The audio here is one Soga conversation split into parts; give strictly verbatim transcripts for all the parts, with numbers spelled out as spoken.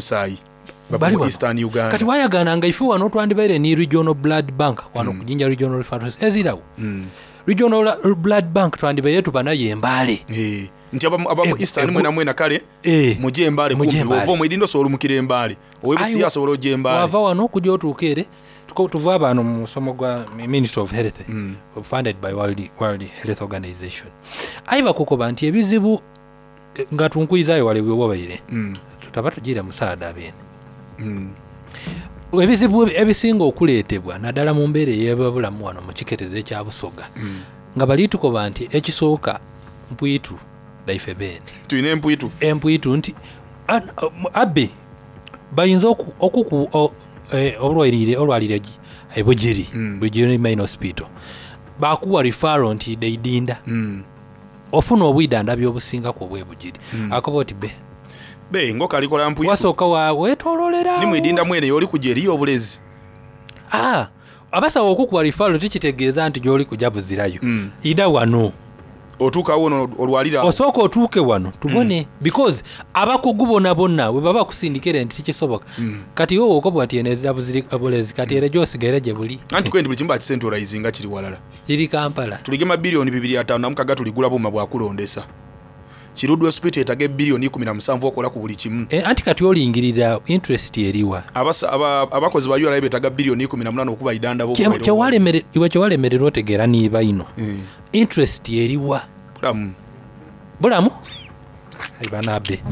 Musaayi bava mu Eastern Uganda. Kati wayagana nga ife wano twandibaire ni Regional Blood Bank wano mm. ku Jinja Regional Referral ezirawo. mm. Regional Blood Bank twandibaire tuba nayo Embale. Eh. Nti abamu Eastern mwena mwena kale e. muje Embale kumpi ova omwirindo osobola olumukira Embale owebusiya asobola ojja Embale wava wano okujja otuuka ere. Tuva abano mu musomo gwa Ministry of Health, mm. funded by World, World Health Organization. Ayi bakukoba nti ebizibu nga tunkuizayo wale bwewabaire mm. tutaba tugira musaada bene. mm. Ebizibu ebisinga okuleetebwa naddala mu mbeera ey'ebyobulamu wano mu kiketezo ekya Busoga, mm. nga bali tukoba nti ekisooka mpwitu daife bene tulina empwitu empwitu nti abbe bayinza okuku olwalire olwalire ebugiri mm. Bugiri Main Hospital bakuwa referral nti deidinda mm. ofuna obwidanda obusinga ku obwebugiri. mm. Akoba oti be be ngoka alikola mpwitu wasooka wa wetololera ni mwidinda mwene yoli kujeri obulezi. Ah, abasawo okukuwa referral tikitegeeza nti gyoli kujja buzirayo. mm. Ida wano otuuka wono olwalira osooka otuuke wano tubone. mm. Because abakugu bonna bonna bwe baba kusindikira nti tikisoboka. mm. Kati wowe okoba nti eno bulezi kati era gy'osigere gye buli anti kwendi buli kimu bakicentralizinga kiri walala kiri Kampala. Tuligema biliyoni bibiri ataano na mukaga tuligula buuma bwakulondesa. Kiruddu Hospital etaga biliyoni ikumi na musanvu okola ku buli kimu. E, anti kati olingirira interest eriwa abakozi ba U R A betaga biliyoni ikumi na munana okuba idanda bo iwe kyewalemererwa otegeera niiba ino. mm. Interest eriwa bulamu bulamu ibanabe.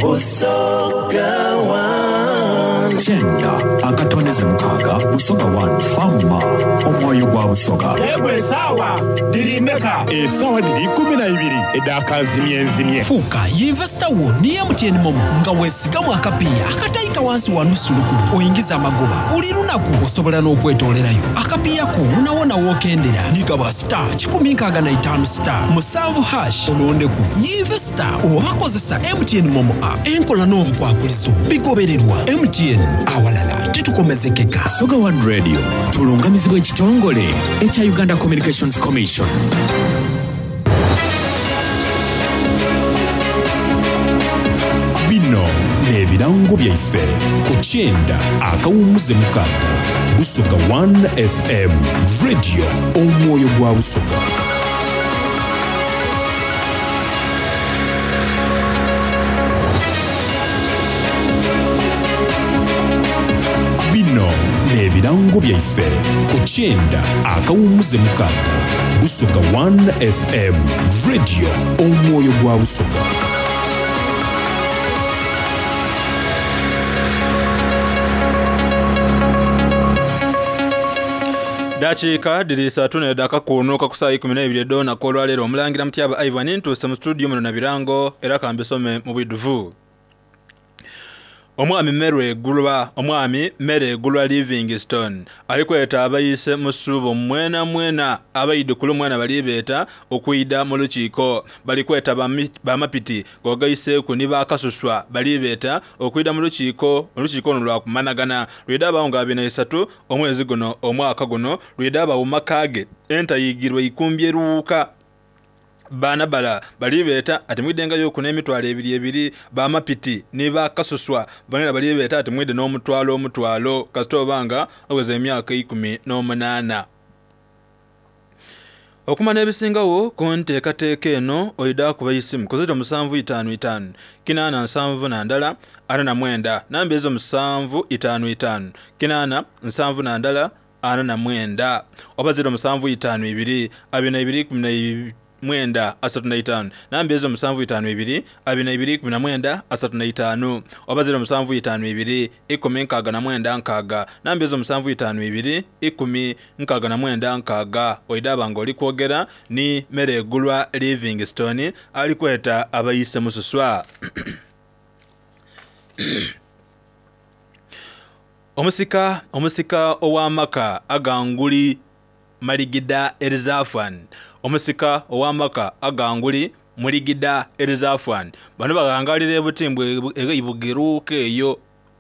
Busoga One Kyenda akatoneze mukaaga Busoga One Fama omwoyo gwa Busoga. Egwe esaawa diri meka? Esaawa diri kumi na ibiri edakazimye nzimye. Fuuka yinvesita wo ni M T N Momo nga weesigamu akapiya akatayika wansi wa nusu lukumi oyingiza amagoba buli lunaku osobola n'okwetoolerayo akapiya ko wonawona w'okendera nigaba star kikumi nkaaga na itaano star musanvu hash olondeku yinvesita oba kozesa M T N Momo app. Enkola n'obukwakulizo bigobererwa M T N awalala titukomezekeka. Busoga One Radio tulungamizibwa ekitongole ekya Uganda Communications Commission. Bino n'ebirango byaife ku kyenda akawummuze mukaaga Busoga One F M Radio omwoyo gwa Busoga. Bino n'ebirango byaife ku kyenda akawummuze mukaaga Busoga One F M Radio omwoyo gwa Busoga. Dakiika diri satu nedaka kunuka ku saa ikumi n'ebiri edona kolwaleero omulangira Mutyaba Ivan ntuuse mu studio muno na birango era kambisome mu bwidduvu. Omwami Mere Gulwa, omwami Mere Gulwa Livingstone alikweta abayise mu ssubo mwena mwena abaidukulu mwena balibeeta okwida mu lukiiko balikweta bamapiti gogaiseeku ni bakasuswa balibeeta okwida mu lukiiko olukiiko luno lwakumanagana lwida abawo nga abiri na isatu omwezi guno omwaka guno lwida abawo makaage entayigirwa ikumbi eruuka bana bala balibeeta ati mwidengayo ku n'emitwalo ebiri ebiri bamapiti ne bakasuswa banera balibeeta ati mwide n'omutwalo omutwalo kasita obanga aweza emyaka ikumi n'omunaana. Okumanya ebisingawo ku nteekateeka eno oyida kuba isimu ku ziro musanvu itaano itaano kinaana nsanvu na ndala ana na mwenda namba ezo musanvu itaano itaano kinaana nsanvu na ndala ana na mwenda oba ziro musanvu itaano ibiri abiri na ibiri kumi na mwenda asatu na itaano namba ezo musanvu itaano ibiri abiri na ibiri kumi na mwenda asatu na itaano oba ziro musanvu itaano ibiri ikumi nkaaga na mwenda nkaaga namba ezo musanvu itaano ibiri ikumi nkaaga na mwenda nkaaga oidaba nga oli kwogera ni Mere Gulwa Livingstone ali kweta abayise mususwa. Omusika omusika ow'amaka aganguli Maligida Elizafan omusika ow'amaka aganguli Muligida Elizafan bano bagangalira ebutimbwe ebugeruuka eyo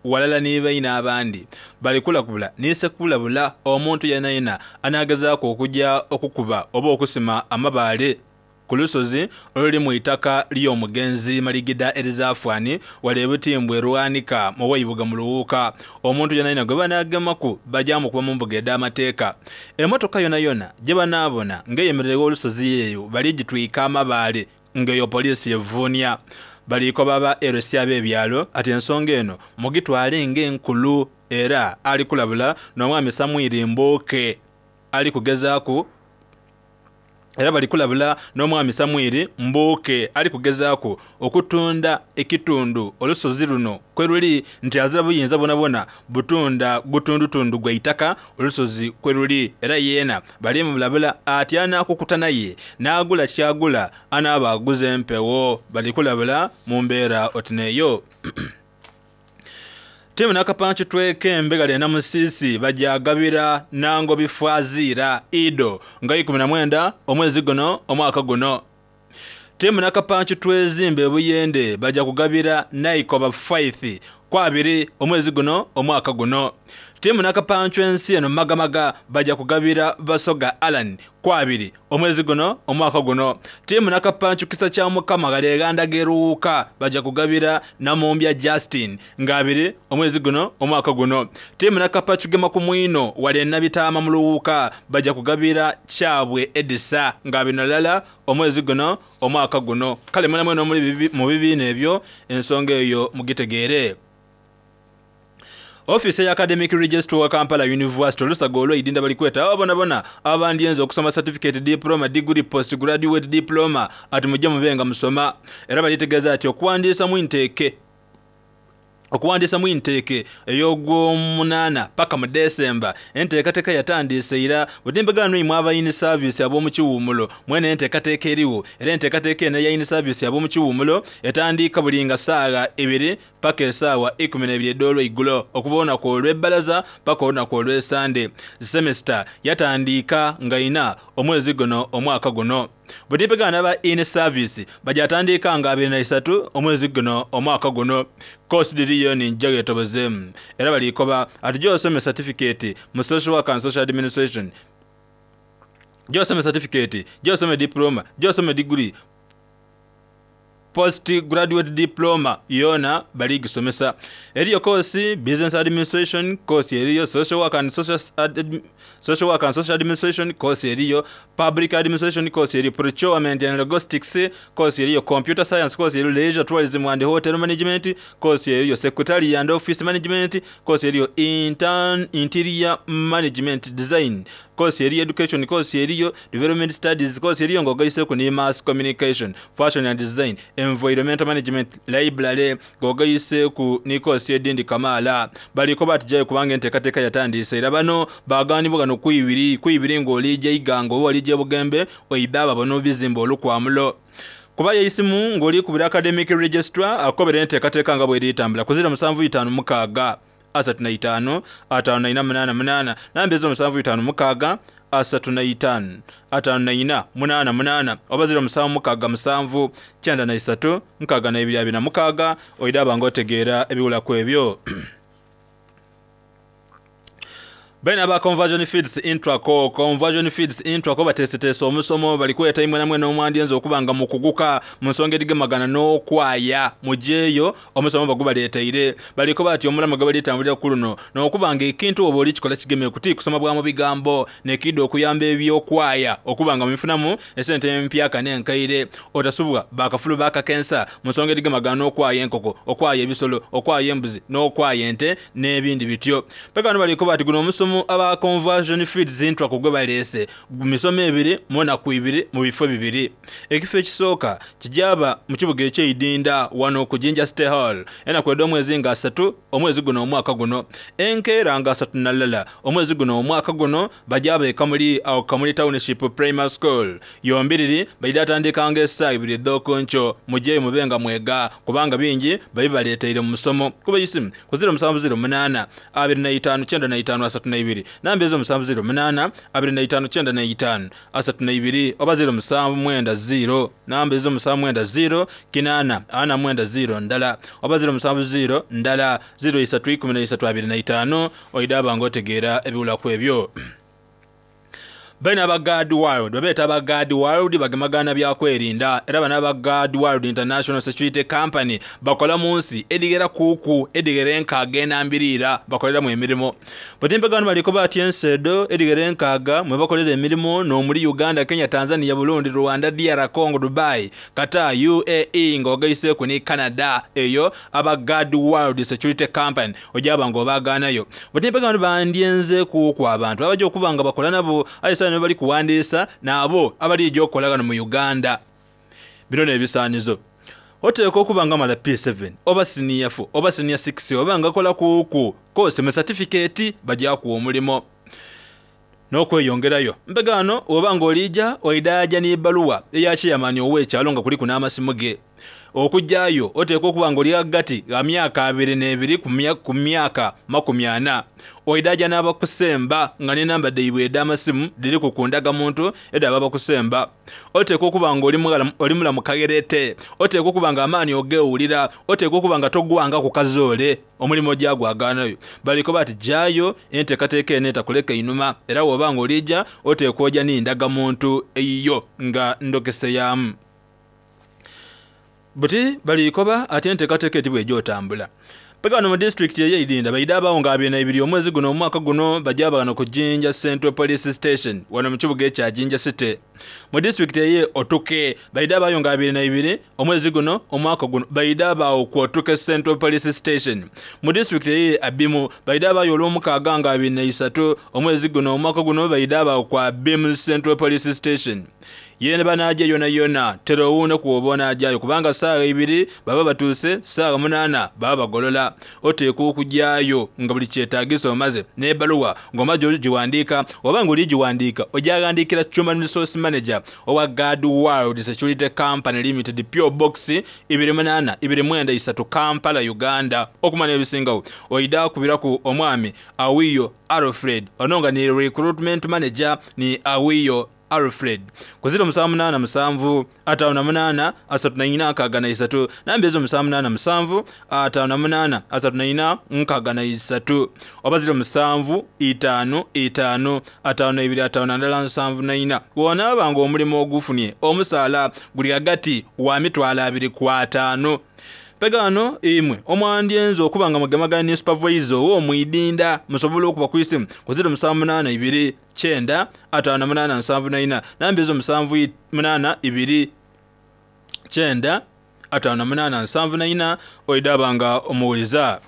walala n'ibaina abandi bali kulabula nise kulabula omuntu yena yena anagezaako okujja okukuba oba okusima amabaale ku lusozi oluli mu itaka ly'omugenzi Maligida Elizafwani wale ebutimbwe Rwanika mu Waibuga mu Luwuka omuntu yena yena gwe banagemaku bajja mukuba mu mbuga ed'amateeka. Emmotoka yona yona gye banaabona ng'eyemererewo olusozi eyo baligitwika amabaale ng'eyo poliisi evuunya. Baliko baba L C ab'ebyalo ati ensonga eno mugitwale ng'enkulu era ali kulabula n'omwami Samwiri Mboke ali kugezaaku era bali kulabula n'omwami Samwiri Mboke ali kugezaaku okutunda ekitundu olusozi luno kwe luli nti azira buyinza bonabona butunda gutundutundu gwa itaka olusozi kwe luli era yeena bali mulabula ati anaakukuta naye n'agula kyagula anaaba aguze empewo bali kulabula mu mbeera otineeyo. Timu nakapanchu tweke mbegale na musisi bajagabira nango bifwazira ido nga ikumi na mwenda omwezi guno omwaka guno. Timu nakapanchu twezimbe buyende baja kugabira naikoba five kwabiri omwezi guno omwaka guno. Timu nakapanchu ensi eno magamaga baja kugabira Basoga Alan kwabiri omwezi guno omwaka guno. Timu nakapanchu kisa cha mukama galeganda geruka baja kugabira Namumbya Justin ngabiri omwezi guno omwaka guno. Timu nakapanchu gema kumwino wale nabitama muluuka baja kugabira Chabwe Edisa ngabiri nalala omwezi guno omwaka guno. Kale mwana mweno muri mu bibiina ebyo ensonga eyo mugitegeere. Office ya Academic Registrar wa Kampala University olusago olwo idinda bali kweta abona bona abandienzo okusoma certificate, diploma, degree, postgraduate diploma ati mujje mubenga musoma era balitegeeza ati okuwandiisa mu intake okuwandiisa mu intake ey'ogwomunaana paka mu December enteekateeka yatandise era butimbe imwe aba in service ab'omu kiwumulo mwene enteekateeka eriwo era enteekateeka eno eya in service ab'omu kiwumulo etandika buli nga ssaawa ibiri paka essaawa ikumi n'ebiri ed'olweigulo okuva olunaku olw'ebbalaza paka olunaku olw'esande. Semester yatandika nga ina omwezi guno omwaka guno. Butimbe ba in service bajatandika nga abiri na isatu omwezi guno omwaka guno. Course diriyo ni njaga etobozemu era balikoba ati gy'osome certificate mu social work and social administration, gy'osome certificate, gy'osome diploma, gy'osome degree, post graduate diploma yona baligisomesa. Eriyo course business administration, course eriyo social work and social ad, social work and social administration, course eriyo public administration, course eriyo procurement and logistics, course eriyo computer science, course eriyo leisure tourism and hotel management, course eriyo secretary and office management, course eriyo intern interior management design, course eriyo education, course eriyo development studies, course eriyo ng'ogayiseeko ne mass communication, fashion and design, environmental management, library ng'ogayiseeku ne course edindi kamaala. Baliko batijayo kubanga enteekateeka yatandise era bano baagaanibwa gano kwibiri kwibiri ng'olijja Iganga oba olijja Bugembe oidde abo n'obizimba olukwamulo. Kuba yeisimu ng'oli kubira academic registrar akobera enteekateeka nga bw'eritambula ku ziro musanvu itaano mukaaga asatu na itaano ataano na ina munaana munaana namba ezo musanvu itaano mukaaga asatu na itaano ataano na ina munaana munaana oba ziro musanvu mukaaga musanvu kyenda na isatu nkaaga na ebiri abiri na mukaaga oidde aba ng'otegeera ebiwulaku ebyo. Bena ba conversion feeds intraco conversion feeds intraco batesetesa omusomo bali kweta imwe namwe n'omwandienzo okubanga mukuguka mu nsonga edigemagana n'okwaya mujeeyo omusomo bagubaleeteire baliko bati omulama gwe balitambulira ku luno n'okubanga ekintu oba oli kikola kigeme kuti kusoma bwa mu bigambo nekidde okuyamba ebyokwaya okubanga mubifunamu esente empyaka n'enkaire otasubwa bakafulu bakakensa mu nsonga edigemagana n'okwaya enkoko okwaya ebisolo okwaya embuzi n'okwaya ente n'ebindi bityo. Paka bano baliko bati guno omusomo aba conversion feeds intra kugwe balese misomo ebiri mona ku ibiri mu bifo bibiri. Ekifo ekisooka kijaba mu kibuga eky'eidinda wano ku Jinja State Hall ena kwedda omwezi nga asatu omwezi guno omwaka guno enkeera nga asatu na lala omwezi guno omwaka guno bajaba e Kamuli awo Kamuli Township Primary School yombiriri baida atandikanga essaawa ibiri ed'okunkyo mujeeyo mubenga mwega kubanga bingi babibaleeteire mu musomo. Kuba isimu ku ziro musanvu ziro munaana abiri na itaano kyenda na itaano asatu na ibiri namba ezo musanvu ziro munaana abiri na itaano kyenda na itaano asatu na ibiri oba ziro musanvu mwenda ziro namba ezo musanvu mwenda ziro kinaana ana mwenda ziro ndala oba ziro musanvu ziro ndala ziro isatu ikumi na isatu abiri na itaano oidaba ng'otegeera ebiwulaku ebyo. Baina aba Guard World babeeta aba Guard World bagemagana byakwerinda era bana aba Guard World International Security Company bakola mu nsi edigera kuku edigera enkaaga enambiriira bakoleramu emirimu butimpe gano baliko batya ensedo edigera enkaaga mwe bakolera emirimu n'omuli Uganda, Kenya, Tanzania, Burundi, Rwanda, D R Congo, Dubai, Qatar, U A E ng'ogaiseeku ni Canada. Eyo aba Guard World Security Company ojaba ng'obaagaanayo. Butimpe gano bandyenze kuku abantu abajja okuba nga bakola nabo ayisa bali kuwandiisa nabo abali okukolagana mu Uganda. Bino n'ebisaanizo oteekwa okuba nga mala P seven oba senior four oba senior six oba nga kola kuku kose mu certificate bajja kuwa omulimo n'okweyongerayo. Mpegano oba ng'olijja oidaaja n'ebbaluwa eya chairman ow'ekyalo nga kuliku n'amasimu ge. Okujjayo oteekwa okuba ng'oli hagati ga myaka abiri n'ebiri ku myaka makumi ana. Oidaaja n'abakusemba nga n'enamba dhaibwe edh'amasimu dhiri ku ndagamuntu edha abakusemba. Oteekwa okuba ng'oli mulamu kagerete. Oteekwa okuba nga amaanyi ogeewulira. Oteekwa okuba nga togwanga ku kazoole omulimu gyagwagaanayo. Baliko bati jjayo enteekateeka eno etakuleka einuma era bw'oba ng'olijja oteekwa ojja n'endagamuntu eyiyo nga ndokeseyaamu. Buti balikoba ate enteekateeka eti bw'egyotambula. Pegano mu disitulikiti ey'Eirinda baida abawo nga abiri na ibiri omwezi guno omwaka guno bajja bagano ku Jinja Central Police Station wano mu kibuga ekya Jinja City. Mu disitulikiti eye Otuke baida abayo nga abiri na ibiri omwezi guno omwaka guno baida abawo ku Otuke Central Police Station. Mu disitulikiti eye Abimu baida abayo olw'omukaaga nga abiri na isatu omwezi guno omwaka guno baida abawo ku Abimu Central Police Station. Yene banaje yona yona terowune kuobona ajayo kubanga saawa ibiri baba batuuse saawa munaana baba bagolola. Oteekwa okujjayo nga buli kyetaagiso omaze n'ebbaluwa ng'omaze ogiwandiika oba ng'oligiwandiika ojaghandiikira Human Resource Manager owa Guard World Security Company Limited P O Box ibiri munaana ibiri mwenda isatu Kampala Uganda. Okumanya ebisingawo oida kubiraku omwami Awiyo Alfred ono nga ni Recruitment Manager ni Awiyo Alfred ku ziro musanvu munaana musanvu ataano na munaana asatu na ina nkaaga na isatu namba ezo musanvu munaana musanvu ataano na munaana asatu na ina nkaaga na isatu oba ziro musanvu itaano itaano ataano na ibiri ataano na ndala nsanvu na ina. Bw'onaaba ng'omulimu ogufunye omusaala guli hagati wa mitwalo abiri ku ataano. Pegano imwe omwandyenzo okuba nga mugemagana ne supervisor ow'omwidinda musobola okuba ku isimu ku ziro musanvu munaana ibiri kyenda ataano na munaana nsanvu na ina namba ezo musanvu munaana ibiri kyenda ataano na munaana nsanvu na ina oidaba nga omuwuliza.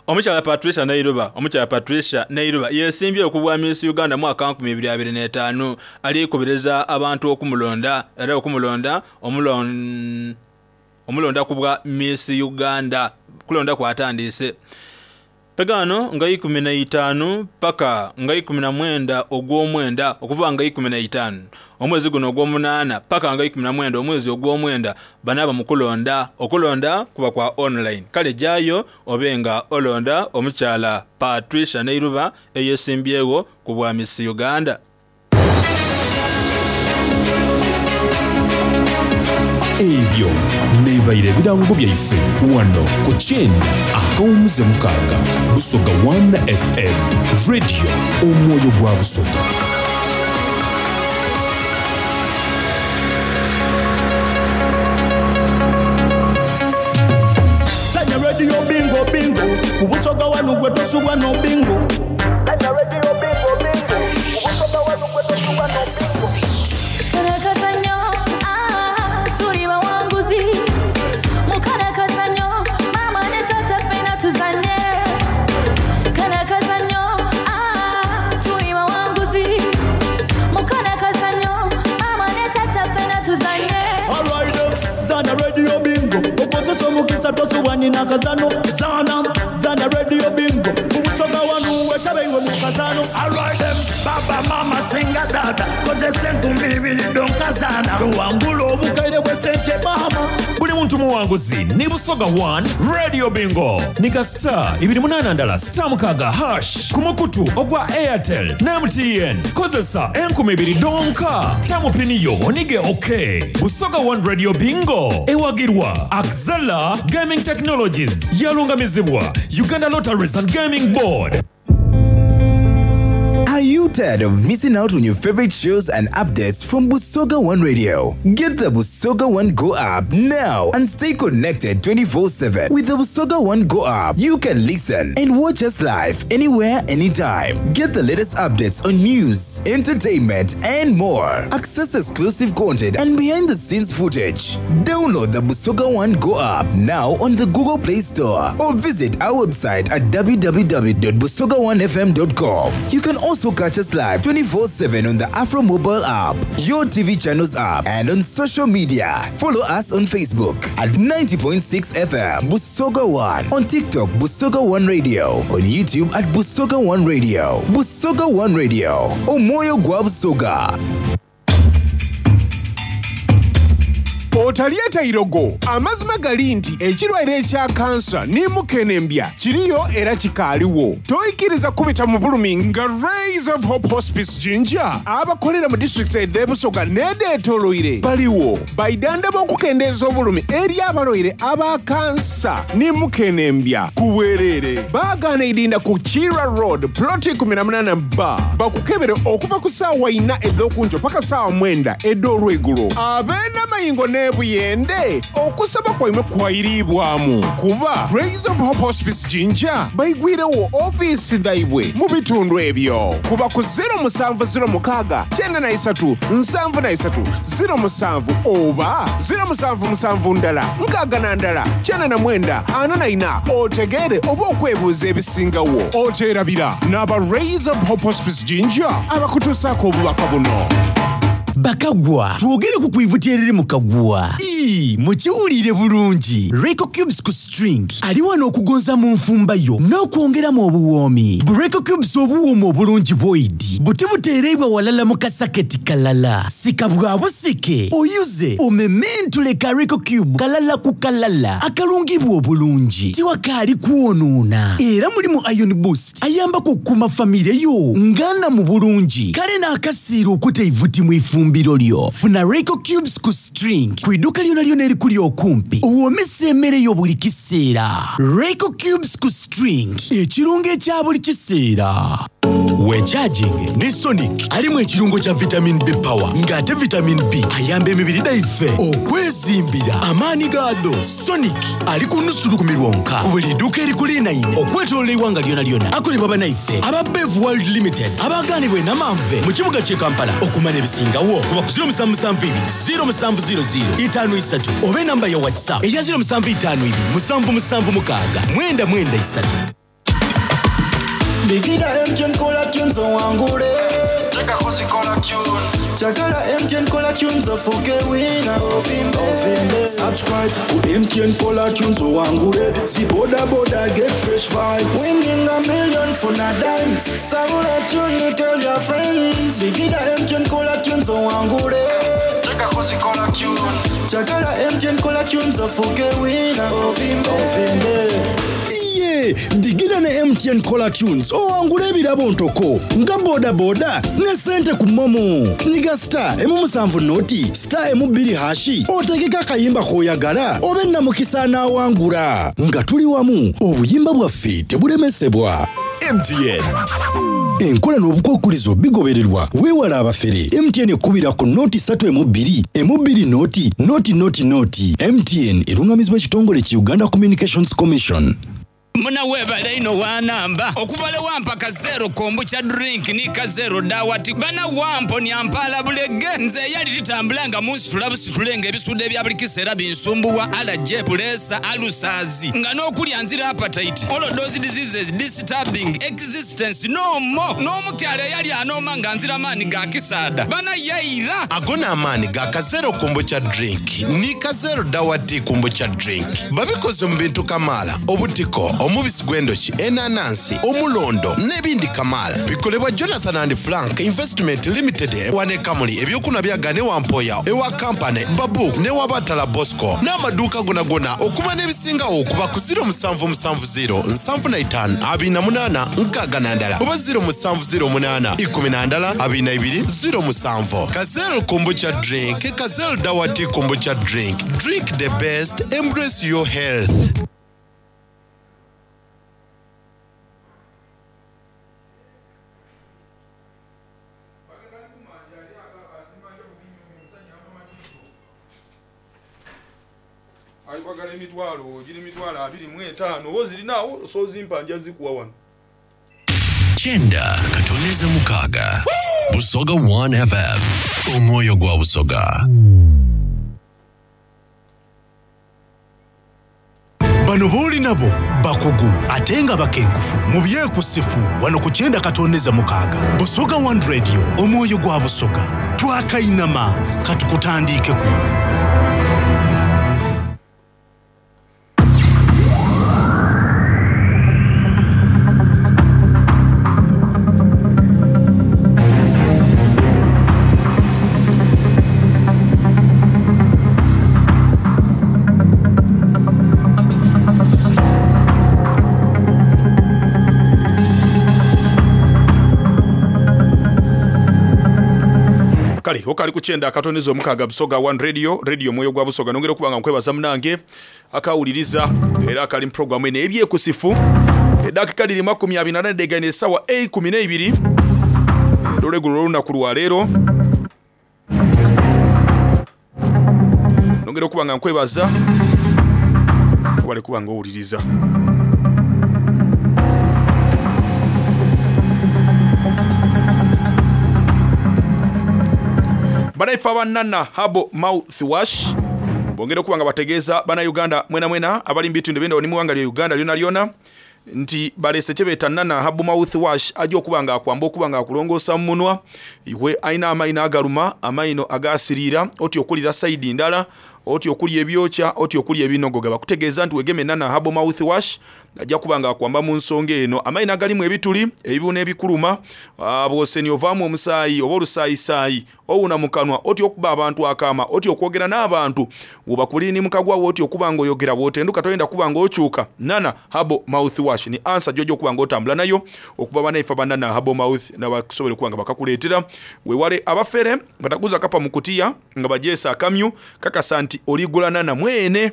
Omukyala Patricia Nairoba, omukyala Patricia Nairoba yesimbye okubwa Miss Uganda mwaka nkumi ibiri abiri n'etaano alikubiriza abantu okumulonda era okumulonda omulon omulonda kubwa Miss Uganda kulonda kwatandise. Pegano nga ikumi na itaano paka nga ikumi na mwenda ogw'omwenda okuva nga ikumi na itaano omwezi guno ogw'omunaana paka nga ikumi na mwenda omwezi ogw'omwenda banaba mu kulonda okulonda kuba kwa online. Kale jayo obenga olonda omukyala Patricia Nairoba eyesimbyewo ku bwa Miss Uganda. Ebyo nebaire ebirango byaife wano ku kyenda akawumuze mukaaga Busoga one F M Radio omwoyo gwa Busoga. Sanya radio bingo bingo ku Busoga wano gwe tosubwa no bingo. Sanya radio bingo bingo ku Busoga wano gwe tosubwa no bingo. Kazano zana zana radio bingo Busoga wanu wetabe iwe mukazano. Alright them baba mama singa dada koze sentu mbibili donkazana tuwangula obukaire bwe sente mama buli muntu Omuwanguzi ni Busoga one Radio Bingo. Nika star ibiri munana ndala star mukaga hash ku mukutu ogwa Airtel na M T N. Kozesa enkumi ibiri donka. Tamu piniyo onige okay. Busoga one Radio Bingo. Ewagirwa Axela Gaming Technologies. Yalungamizibwa Uganda Lotteries and Gaming Board. Are you tired of missing out on your favorite shows and updates from Busoga One Radio? Get the Busoga One Go app now and stay connected twenty-four seven. With the Busoga One Go app, you can listen and watch us live anywhere, anytime. Get the latest updates on news, entertainment, and more. Access exclusive content and behind-the-scenes footage. Download the Busoga One Go app now on the Google Play Store or visit our website at w w w dot busoga one f m dot com. You can also catch us live twenty-four seven on the Afro mobile app, your T V channels app, and on social media. Follow us on Facebook at ninety point six F M Busoga One, on TikTok Busoga One Radio, on YouTube at Busoga One Radio. Busoga One Radio, Omoyo gwa Busoga. Otalieta irogo amazima gali nti ekirwadde ekya kansa ne mukenembya kiriyo era kikaaliwo. Toyikiriza kubita mu bulumi nga Rays of Hope Hospice Jinja abakolera mu disitulikiti ed'e Busoga n'edeetooloire baliwo baidanda b'okukendeeza obulumi eri abalwaire aba kansa ne mukenembya ku bwereere. Baagaana idinda ku Kira Road ploti kumi na munaana B bakukebere okuva ku ssaawa ina ed'okunjo paka ssaawa mwenda ed'olweggulo. Ab'enamayingo ne buyende okusaba kwaimwe kwairibwamu kuba Rays of Hope Hospice Jinja baigwirewo ofiisi dhaibwe mu bitundu ebyo kuba ku zero musanvu zero mukaaga kyenda na isatu nsanvu na isatu zero musanvu oba zero musanvu musanvu ndala nkaaga na ndala kyenda na mwenda ana na ina otegeere oba okwebuuza ebisingawo. Oteerabira n'aba Rays of Hope Hospice Jinja abakutuusaako obubaka buno. Bakagwa twogere ku kwivuti eriri mu kagwa. Ii, mukiwulire bulungi. Reiko Cubes ku string ali wano okugonza mu nfumba yo n'okwongeramu obuwoomi. Reiko Cubes obuwoomi obulungi bwoidi buti buteereibwa walala mu kasaketi kalala. Sika bwa busike oyuze omementule ka Reiko Cube kalala ku kalala akalungibwa obulungi tiwakaali kwonoona. Era mulimu Iron Boost ayambako okukuuma famire yo ngana mu bulungi kale n'akasiira okuta ivuti mu ifumba mbirolyo. Funa Reiko Cubes ku string ku idduka lyonna lyonna erikuli okumpi owoomesa emmere yo buli kiseera. Reiko Cubes ku string ekirungo ekya buli kiseera. Wecharging ne Sonic alimu ekirungo kya vitamin B power ng'ate vitamin B ayamba emibiri gyaffe okwezimbira amaanyi gaado. Sonic ali ku nusu lukumi lwonka ku buli dduuka erikulinaine okwetooloola eggwanga lyonna lyonna. Akolebwa bannaffe aba Bev World Limited abagaanibwa e Namanve mu kibuga ky'e Kampala. Okumanya ebisingawo kuba ku zero musanvu musanvu ibiri zero musanvu zero zero itaano isatu oba enamba ya WhatsApp eya zero musanvu itaano ibiri musanvu musanvu mukaaga mwenda mwenda isatu. Bigida M T N Cola Tunes owangule. Cheka kuzikola tune. Chakala M T N Cola Tunes ofuke wina. Ovimbe. Ovimbe. Subscribe ku M T N Cola Tunes owangule. Si boda boda get fresh vibes. Winning a million for na dimes. Sabula tune tell your friends. Bigida M T N Cola Tunes owangule. Cheka kuzikola tune. Chakala M T N Cola Tunes ofuke wina. Ovimbe. Ovimbe. Digida ne M T N Cola Tunes owangule ebirabo ntoko nga boda boda ne sente ku momo. Nyiga star emu musanvu noti star emu bbiri hashi otegeka akayimba k'oyagala obe namukisa anaawangula. Nga tuli wamu obuyimba bwaffe tebulemesebwa. M T N enkola n'obukwakkulizo bigobererwa weewala abafere. M T N ekubira ku noti ssatu emu bbiri emu bbiri noti noti noti noti. M T N erungamizibwa ekitongole ki Uganda Communications Commission. Muna webale ino wanamba okuvale wampa kazero kombucha drink ni kazero dawati bana wampo ni ampala bulege nze yali litambulanga munsitula busitulenga ebisude bya buli kiseera binsumbuwa ala pulesa alusazi nga n'okulya nzira appetite all those diseases disturbing existence no more n'omukyala yali anooma nga nzira maanyi ga kisaada bana yaira agona amaanyi ga kazero kombucha drink ni kazero dawati kombucha drink babikoze mu bintu kamala obutiko Omubisi gw'endoki, enanansi, omulondo n'ebindi kamaala. Bikolebwa Jonathan and Frank Investment Limited wane Kamuli ebyokunwa byagane wampoya ewa kampani Babu ne wabatala Bosco n'amaduuka gonagona okuba n'ebisingawo okuba ku ziro musanvu musanvu ziro nsanvu na itaano abiri na munaana nkaaga na ndala oba ziro musanvu ziro munaana ikumi na ndala abiri na ibiri ziro musanvu. Kazel kombucha drink, Kazel Dawati kombucha drink. Drink the best, embrace your health. Ayiwagala emitwalo giri mitwalo abiri mu etaano oba ozirinawo sozimpa nja zikuwa wano. Kyenda katoneza mukaaga Busoga one F M omwoyo gwa Busoga. Bano booli nabo bakugu ate nga bakenkufu mu byekusifu wano ku kyenda katoneza mukaaga Busoga one Radio omwoyo gwa Busoga twakainama katukutandiikeku. Kale okali kukyenda akatonizo omukaga Busoga one Radio, radio mwoyo gwa Busoga. Nongera okubanga nkwebaza munange akawuliriza era akali mu programu eno ebyekusifu. Eddakiika liri makumi abiri na nane degaine essaawa eikumi n'eibiri olweggulo lw'olunaku lwa leero. Nongera okubanga nkwebaza obale kubanga owuliriza. Banaife abanana Herbal Mouthwash bongera okuba nga bategeeza bannayuganda mwena mwena abali mu bitundu ebyenjawulo ne mu ggwanga lya Uganda lyona lyona nti balese kye beeta Nana Herbal Mouthwash ajja okuba nga akwamba okuba nga akulongoosa mu munwa iwe alina amayino agaluma, amayino agasiriira, oti okulira sayidi ndala, oti okulya ebyokya, oti okulya ebinogoga. Bakutegeeza nti wegeme Nana Herbal Mouthwash ajja kuba nga akwamba mu nsonga eno. Amayino agalimu ebituli, ebibuno ebikuluma, bw'oseni ovaamu omusaayi oba olusaayisaayi, owuna mu kanwa, oti okuba abantu akaama, oti okwogera n'abantu, bw'obakulira ni mukagwa oti okuba ng'oyogera, bw'otenduka toyenda kuba ng'okyuka. Nana Herbal Mouthwash ni ansa gy'ojja okuba ng'otambula nayo okuva banaife ba Nana Herbal Mouth nabakusobola okuba nga bakakuleetera. Weewale abafere bataguza kapa mu kutiya nga bajeesa akamyu kakasa nti oligula Nana mwene,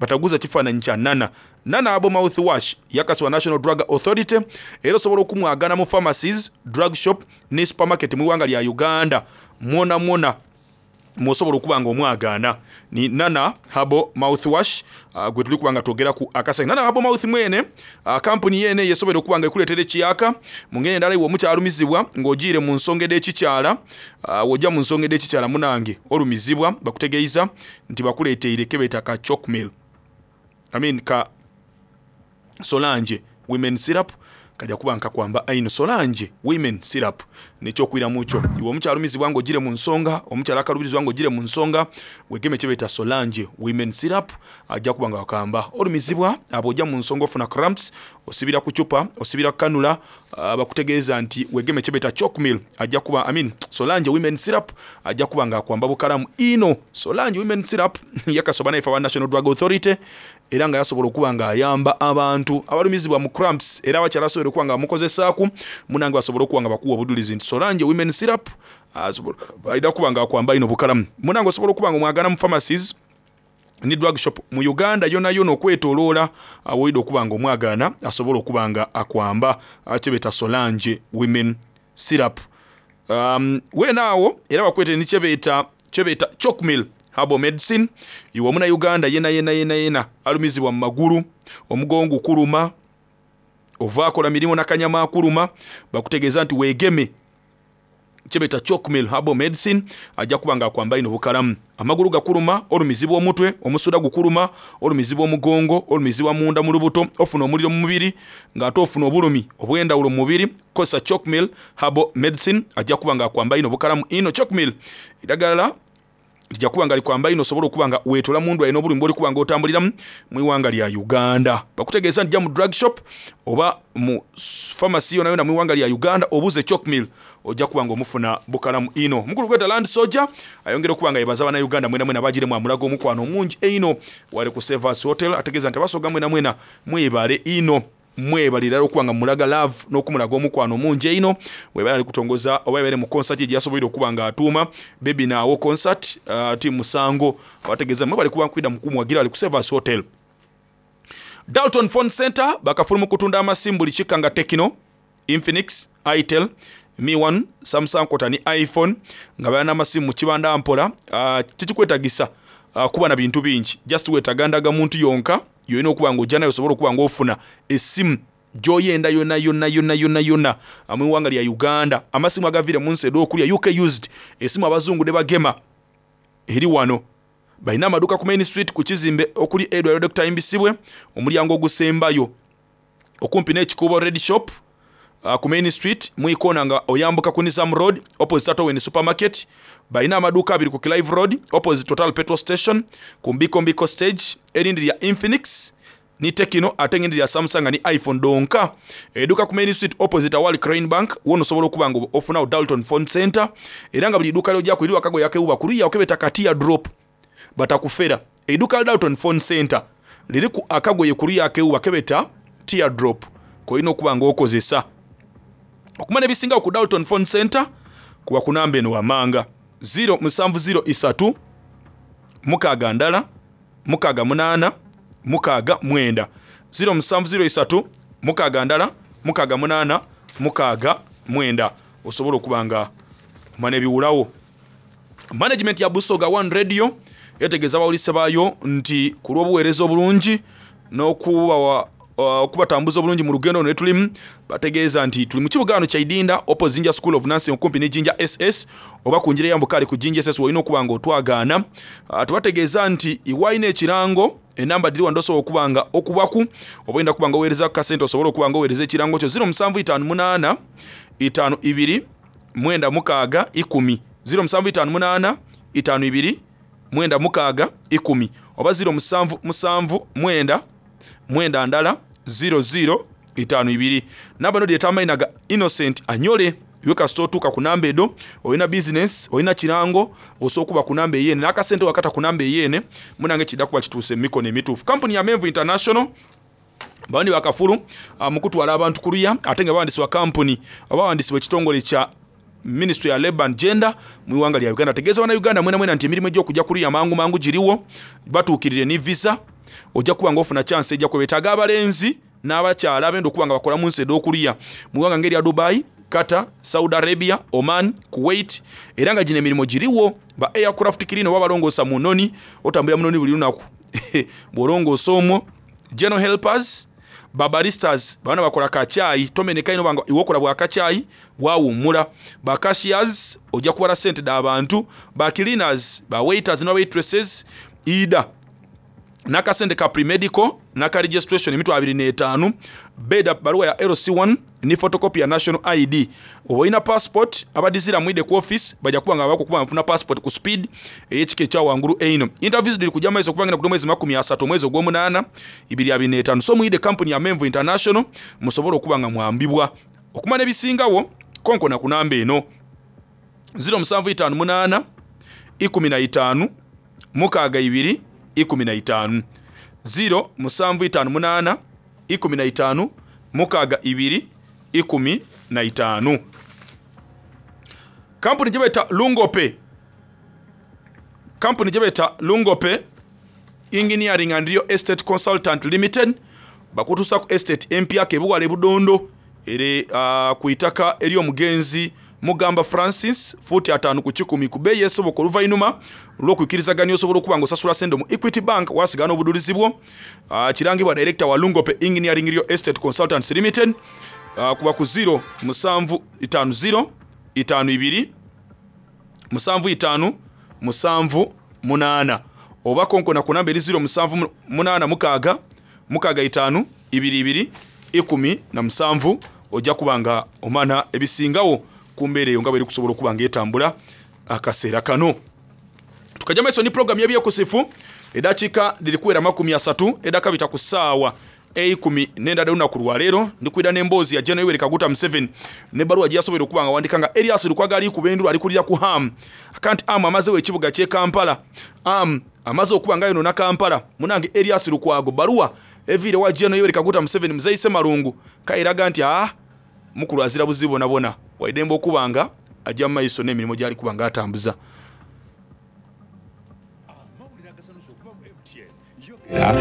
bataguza kifaananyi kya Nana. Nana Herbal Mouthwash yakasibwa National Drug Authority era osobola okumwagana mu pharmacies, drug shop ne supermarket mu ggwanga lya Uganda mwona mwona mwosobola okuba nga omwagaana. Ni Nana Herbal Mouthwash uh, gwe tuli kuba nga twogera ku akasenge. Nana Herbal Mouth mwene uh, kampuni yene yesobola okuba nga ekuleetera ekiyaka mu ngeri endala iwe omukyalumizibwa ng'ogiire mu nsonga ed'ekikyala, uh, w'ojja mu nsonga ed'ekikyala munange olumizibwa bakutegeeza nti bakuleeteire kebeeta ka Chocmil, I mean ka Solange Women Syrup kajja kuba nkakwamba aino. Solange Women Syrup nekyokwiramu kyo iwe omukyalumizibwa ng'ogire mu nsonga, omukyala akalubirizibwa ng'ogire mu nsonga, wegeme kye beeta Solange Women Syrup ajja kuba nga wakamba. Olumizibwa abo ojja mu nsonga ofuna cramps, osibira ku cupa, osibira kanula, bakutegeeza nti wegeme kye beeta Chocmil ajja kuba, I mean Solange Women Syrup ajja kuba nga akwamba bukalamu ino. Solange Women Syrup yakasoba naife aba National Drug Authority era nga yasobola okuba nga ayamba abantu abalumizibwa mu cramps era abakyala asobola okuba nga bamukozesaaku munange basobola okuba nga bakuwa obudulizi nti Solange Women Syrup asobola alina kuba nga akwamba ino bukalamu. Munange osobola okuba nga omwagana mu pharmacies ni drug shop mu Uganda yona yona okwetoloola awoyida okuba nga omwagaana asobola okuba nga akwamba kyebeta Solange Women Syrup. Um, weenaawo era bakwete ni kyebeta kyebeta Chocmil Herbal Medicine. Iwe omuna Uganda yena yena yena yena alumizibwa mu magulu, omugongo kuluma, ovaakola mirimu nakanyama akuluma, bakutegeeza nti weegeme kyebeta Chocmil Herbal Medicine ajja kuba nga akwamba ino bukalamu. Amagulu gakuluma, olumizibwa omutwe, omusuda gukuluma, olumizibwa omugongo, olumizibwa munda mu lubuto, ofuna omuliro mu mubiri ng'ate ofuna obulumi obw'endawulo mu mubiri. Kozesa Chocmil Herbal Medicine ajja kuba nga akwamba ino bukalamu ino. Chocmil eddagala Tijja kuba nga likwamba ino osobola okuba nga weetola mundu alina obulumi bw'oli kuba nga otambuliramu mu iwanga lya Uganda. Bakutegeeza nti jja mu drug shop oba mu pharmacy yona yona mu iwanga lya Uganda obuuze Chokmil, ojja kuba nga omufuna bukalamu ino. Mukulu gweta Land Soldier ayongera okuba nga yebaza bannayuganda mwena mwena bagiremu amulaga omukwano omungi eino wali ku Sevas Hotel. Ategeeza nti abasoga mwena mwena mwebale ino, mwebalira okuba nga mulaga love n'okumulaga omukwano omungi eino. Webale ali kutongoza oba ebere mu concert gye yasoboire okuba nga atuuma Baby Naawo concert uh, ti musango. Abategeeza mwebale kuba nkwida mukumuwagira ali ku Sevas Hotel. Dalton Phone Center bakafulu mu kutunda amasimu buli kika nga Tecno, Infinix, Itel, Mi one, Samsung kota ni iPhone, nga balina amasimu mu kibanda mpola. uh, kikikwetagisa uh, kuba na bintu bingi, just weetaaga ndagamuntu yonka yolina okuba nga ojja nayo osobola okuba nga ofuna essimu gy'oyenda yonna yonna yonna yonna yonna mu iwanga lya Uganda. Amasimu agaviire mu nsi ed'okulya U K used, esimu abazungu ne bagema eri wano. Balina amaduuka ku Main Street ku kizimbe okuli Edward Doctor Imbisibwe, omulyango ogusembayo okumpi n'ekikuubo Red Shop, uh, ku Main Street mwikona nga oyambuka ku Nizam Road opposite Atowen Supermarket. Balina amaduuka abiri ku Clive Road opposite Total Petrol Station ku Mbiko Mbiko stage, erindi lya Infinix ni Tecno, ate ng'erindi lya Samsung ni iPhone donka. Edduuka ku Main Street opposite awali Crane Bank wona osobola okuba nga ofunawo Dalton Phone Center. Era nga buli dduuka lyojja ku eri wakago yakewuba ku luya okebeta katiya drop batakufera. Edduuka lya Dalton Phone Center liri ku akagoye ku luya akewuba kebeta tear drop kolina okuba nga okozesa. Okumanya ebisingawo ku Dalton Phone Center kuba ku namba eno wamanga zero musanvu zero isatu mukaaga ndala mukaaga munaana mukaaga mwenda, zero musanvu zero isatu mukaaga ndala mukaaga munaana mukaaga mwenda, osobola okuba nga omanya ebiwulawo. Management ya Busoga One Radio yetegeeza abawulise baayo nti ku lw'obuweereza obulungi n'okubawa okubatambuza obulungi mu lugendo luno tulimu, bategeeza nti tuli mu kibuga wano kya Idinda opposite Jinja School of Nursing okumpi ne Jinja S S oba ku njira eyambuka ali ku Jinja S S olina okuba nga otwagaana. uh, tubategeeza nti iwalina ekirango enamba diri wano osobola okuba nga okubaku oba oyinda kuba nga oweereza ku kasente osobola okuba nga oweereza ekirango kyo zero musanvu itaano munaana itaano ibiri mwenda mukaaga ikumi, zero musanvu itaano munaana itaano ibiri mwenda mukaaga ikumi oba zero musanvu musanvu mwenda mwenda ndala zero zero itaano ibiri. Namba no dyeta amayina ga Innocent Anyole. Iwe kasita otuuka ku namba edo, olina bizinesi, olina kirango, osobola okuba ku namba eyene n'akasente wakata ku namba eyene munange kidda kuba kituuse mu mikono emituufu. Kampuni ya Menvu International bawandi bakafulu uh, mu kutwala abantu ku luya, ate nga bawandisibwa kampuni oba bawandisibwa ekitongole kya Ministry ya Labor and Gender mu iwanga lya Uganda. Tegeeza bannayuganda mwena mwena nti emirimu egy'okujja kuluya mangu mangu giriwo, batuukirire ni visa, ojja kuba nga ofuna chance ejja kwebetaaga abalenzi n'abakyala abenda okuba nga bakola mu nsi ed'okulya mu ggwanga ng'erya Dubai, Qatar, Saudi Arabia, Oman, Kuwait. Era nga gino emirimu giriwo ba aircraft clean oba balongoosa mu nnoni, otambulira mu nnoni buli lunaku bw'olongoosa omwo, general helpers, babaristas bana bakola kacyayi tomeneka ino banga iwokola bwa kacyayi wawummula, ba cashiers ojja kubala sente d'abantu, ba cleaners, ba waiters ne waitresses, ida n'akasente ka premedical n'aka registration emitwalo abiri n'etaano, beda baluwa ya L C one ni photocopy ya national I D oba olina passport. Abadizira mwide ku office bajja kuba nga bakukuba nfuna passport ku speed ey'ekika ekya wangulu eino. Interviews diri kujja maiso kubanga ku mwezi makumi asatu omwezi ogw'omunaana ibiri abiri n'etaano. So mwide company ya Menvu International musobole okuba nga mwambibwa. Okumanya ebisingawo konkona ku namba eno zero musanvu itaano munaana ikumi na itaano mukaaga ibiri ikumi na itaano, zero musanvu itaano munaana ikumi na itaano mukaaga ibiri ikumi na itaano. Kampuni gye bayita Lungope, kampuni gye bayita Lungope Engineering and Real Estate Consultant Limited bakutuusa ku estate empya kebuwala ebudondo ere uh, ku itaka ery'omugenzi Mugamba Francis, fuuti ataano ku kikumi ku bbeeyi esoboka. Oluvannyuma lw'okukkirizaganya osobola okuba nga osasula sente mu Equity Bank wasigala n'obudulizi bwo. uh, kirangibwa director wa Lungope Engineering Real Estate Consultants Limited, uh, kuba ku zero musanvu itaano zero itaano ibiri musanvu itaano musanvu munaana oba konkona ku namba eri zero musanvu munaana mukaaga mukaaga itaano ibiri ibiri ikumi na musanvu, ojja kuba nga omana ebisingawo ku mbeera eyo nga bweri kusobola okuba nga etambula akaseera kano. Tukajja maiso ni program y'ebyekusifu eddakiika lirikuwera makumi asatu eddakabita ku ssaawa eikumi n'endala olunaku lwaleero. Ndikwira n'emboozi ya General Yoweri Kaguta Museveni n'ebbaluwa gye yasobola okuba nga awandika nga Erias Lukwago ali ku bendula ali kulira ku Ham akanti Am amazeewo ekibuga ky'e Kampala, Am amaze okuba nga yonoona Kampala. Munange Erias Lukwago bbaluwa eviire wa General Yoweri Kaguta Museveni Muzeeyi Ssemalungu kairaga nti aa mukulu azira buzibu bonabona waidembe okuba nga ajja mu maiso n'emirimu gy'ali kuba nga atambuza.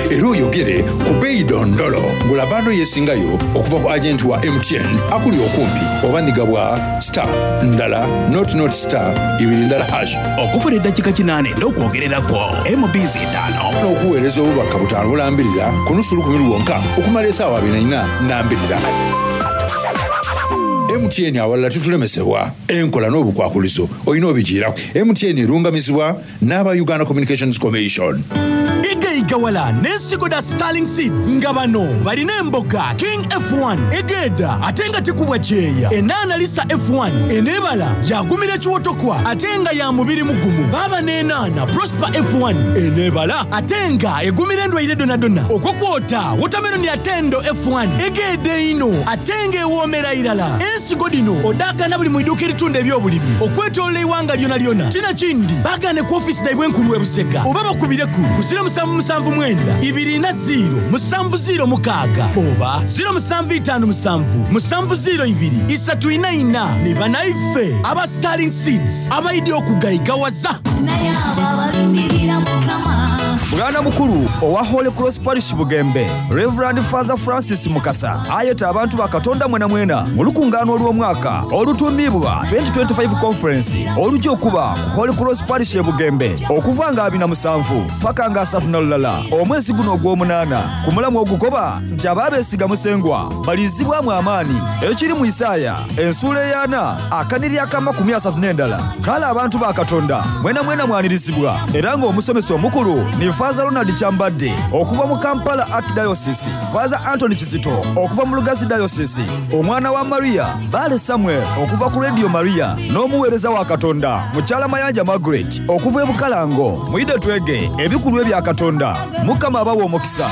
Era oyogere ku beeyi dondolo gula bando yesingayo okuva ku agenti wa M T N akuli okumpi oba nigabwa star ndala not not star ibiri ndala hash okufuna eddakiika kinaana n'okwogererako M Bs etaano n'okuweereza obubaka butaano bulambirira ku nusu lukumi lwonka okumala essaawa abiri na nnya nambirira. M T N awalala tutulemesebwa enkola n'obukwakulizo olina obigiirako. M T N erungamizibwa n'aba Uganda Communications Commission. Igawala n'ensigo da Starling Seeds nga bano balina emboga King F one egeda ate nga tekubwa kyeya, enaana Lisa F one eneebala yagumira ekiwotokwa ate nga ya mubiri mugumu, baaba n'enaana Prosper F one eneebala ate nga egumira endwaire donadona, okwokwota watermelon ya Tendo F one egeda ino ate nga ewoomera irala. Ensigo dino odaagana buli mu idduuka eritunda ebyobulimi okwetoolola eiwanga lyona lyona. Kino kindi baagane ku ofiisi daibwe enkulu e Busega oba bakubireku ku ziro musanvu musanvu mwenda ibiri na ziro musanvu ziro mukaaga oba ziro musanvu itaano musanvu musanvu ziro ibiri isatu ina ina. Ni banaife aba Starling Seeds abaidi okugayigawaza. Bwana mukulu owa Holy Cross Parish Bugembe Reverend Father Francis Mukasa ayeta abantu ba Katonda mwena mwena mu lukungaano olw'omwaka olutuumibwa twenty twenty-five Conference olujja okuba ku Holy Cross Parish e Bugembe okuva nga abiri na musanvu paka nga asatu na lulala omwezi guno ogw'omunaana. Ku mulamu ogugoba nti abaabeesiga Musengwa balizibwamu amaanyi ekiri mu Isaaya ensuula ey'ana akaniri ak'amakumi asatu n'endala. Kale abantu ba Katonda mwena mwena mwanirizibwa era ng'omusomesa omukulu ni Father Ronald Kyambadde okuva mu Kampala Archdiocese, Father Anthony Kizito okuva mu Lugazi Diocese, omwana wa Maria Bale Samuel okuva ku Radio Maria n'omuweereza wa Katonda Mukyala Mayanja Margaret okuva e Bukalango. Mwide twege ebikulu ebya Katonda. Mukama abawe omukisa.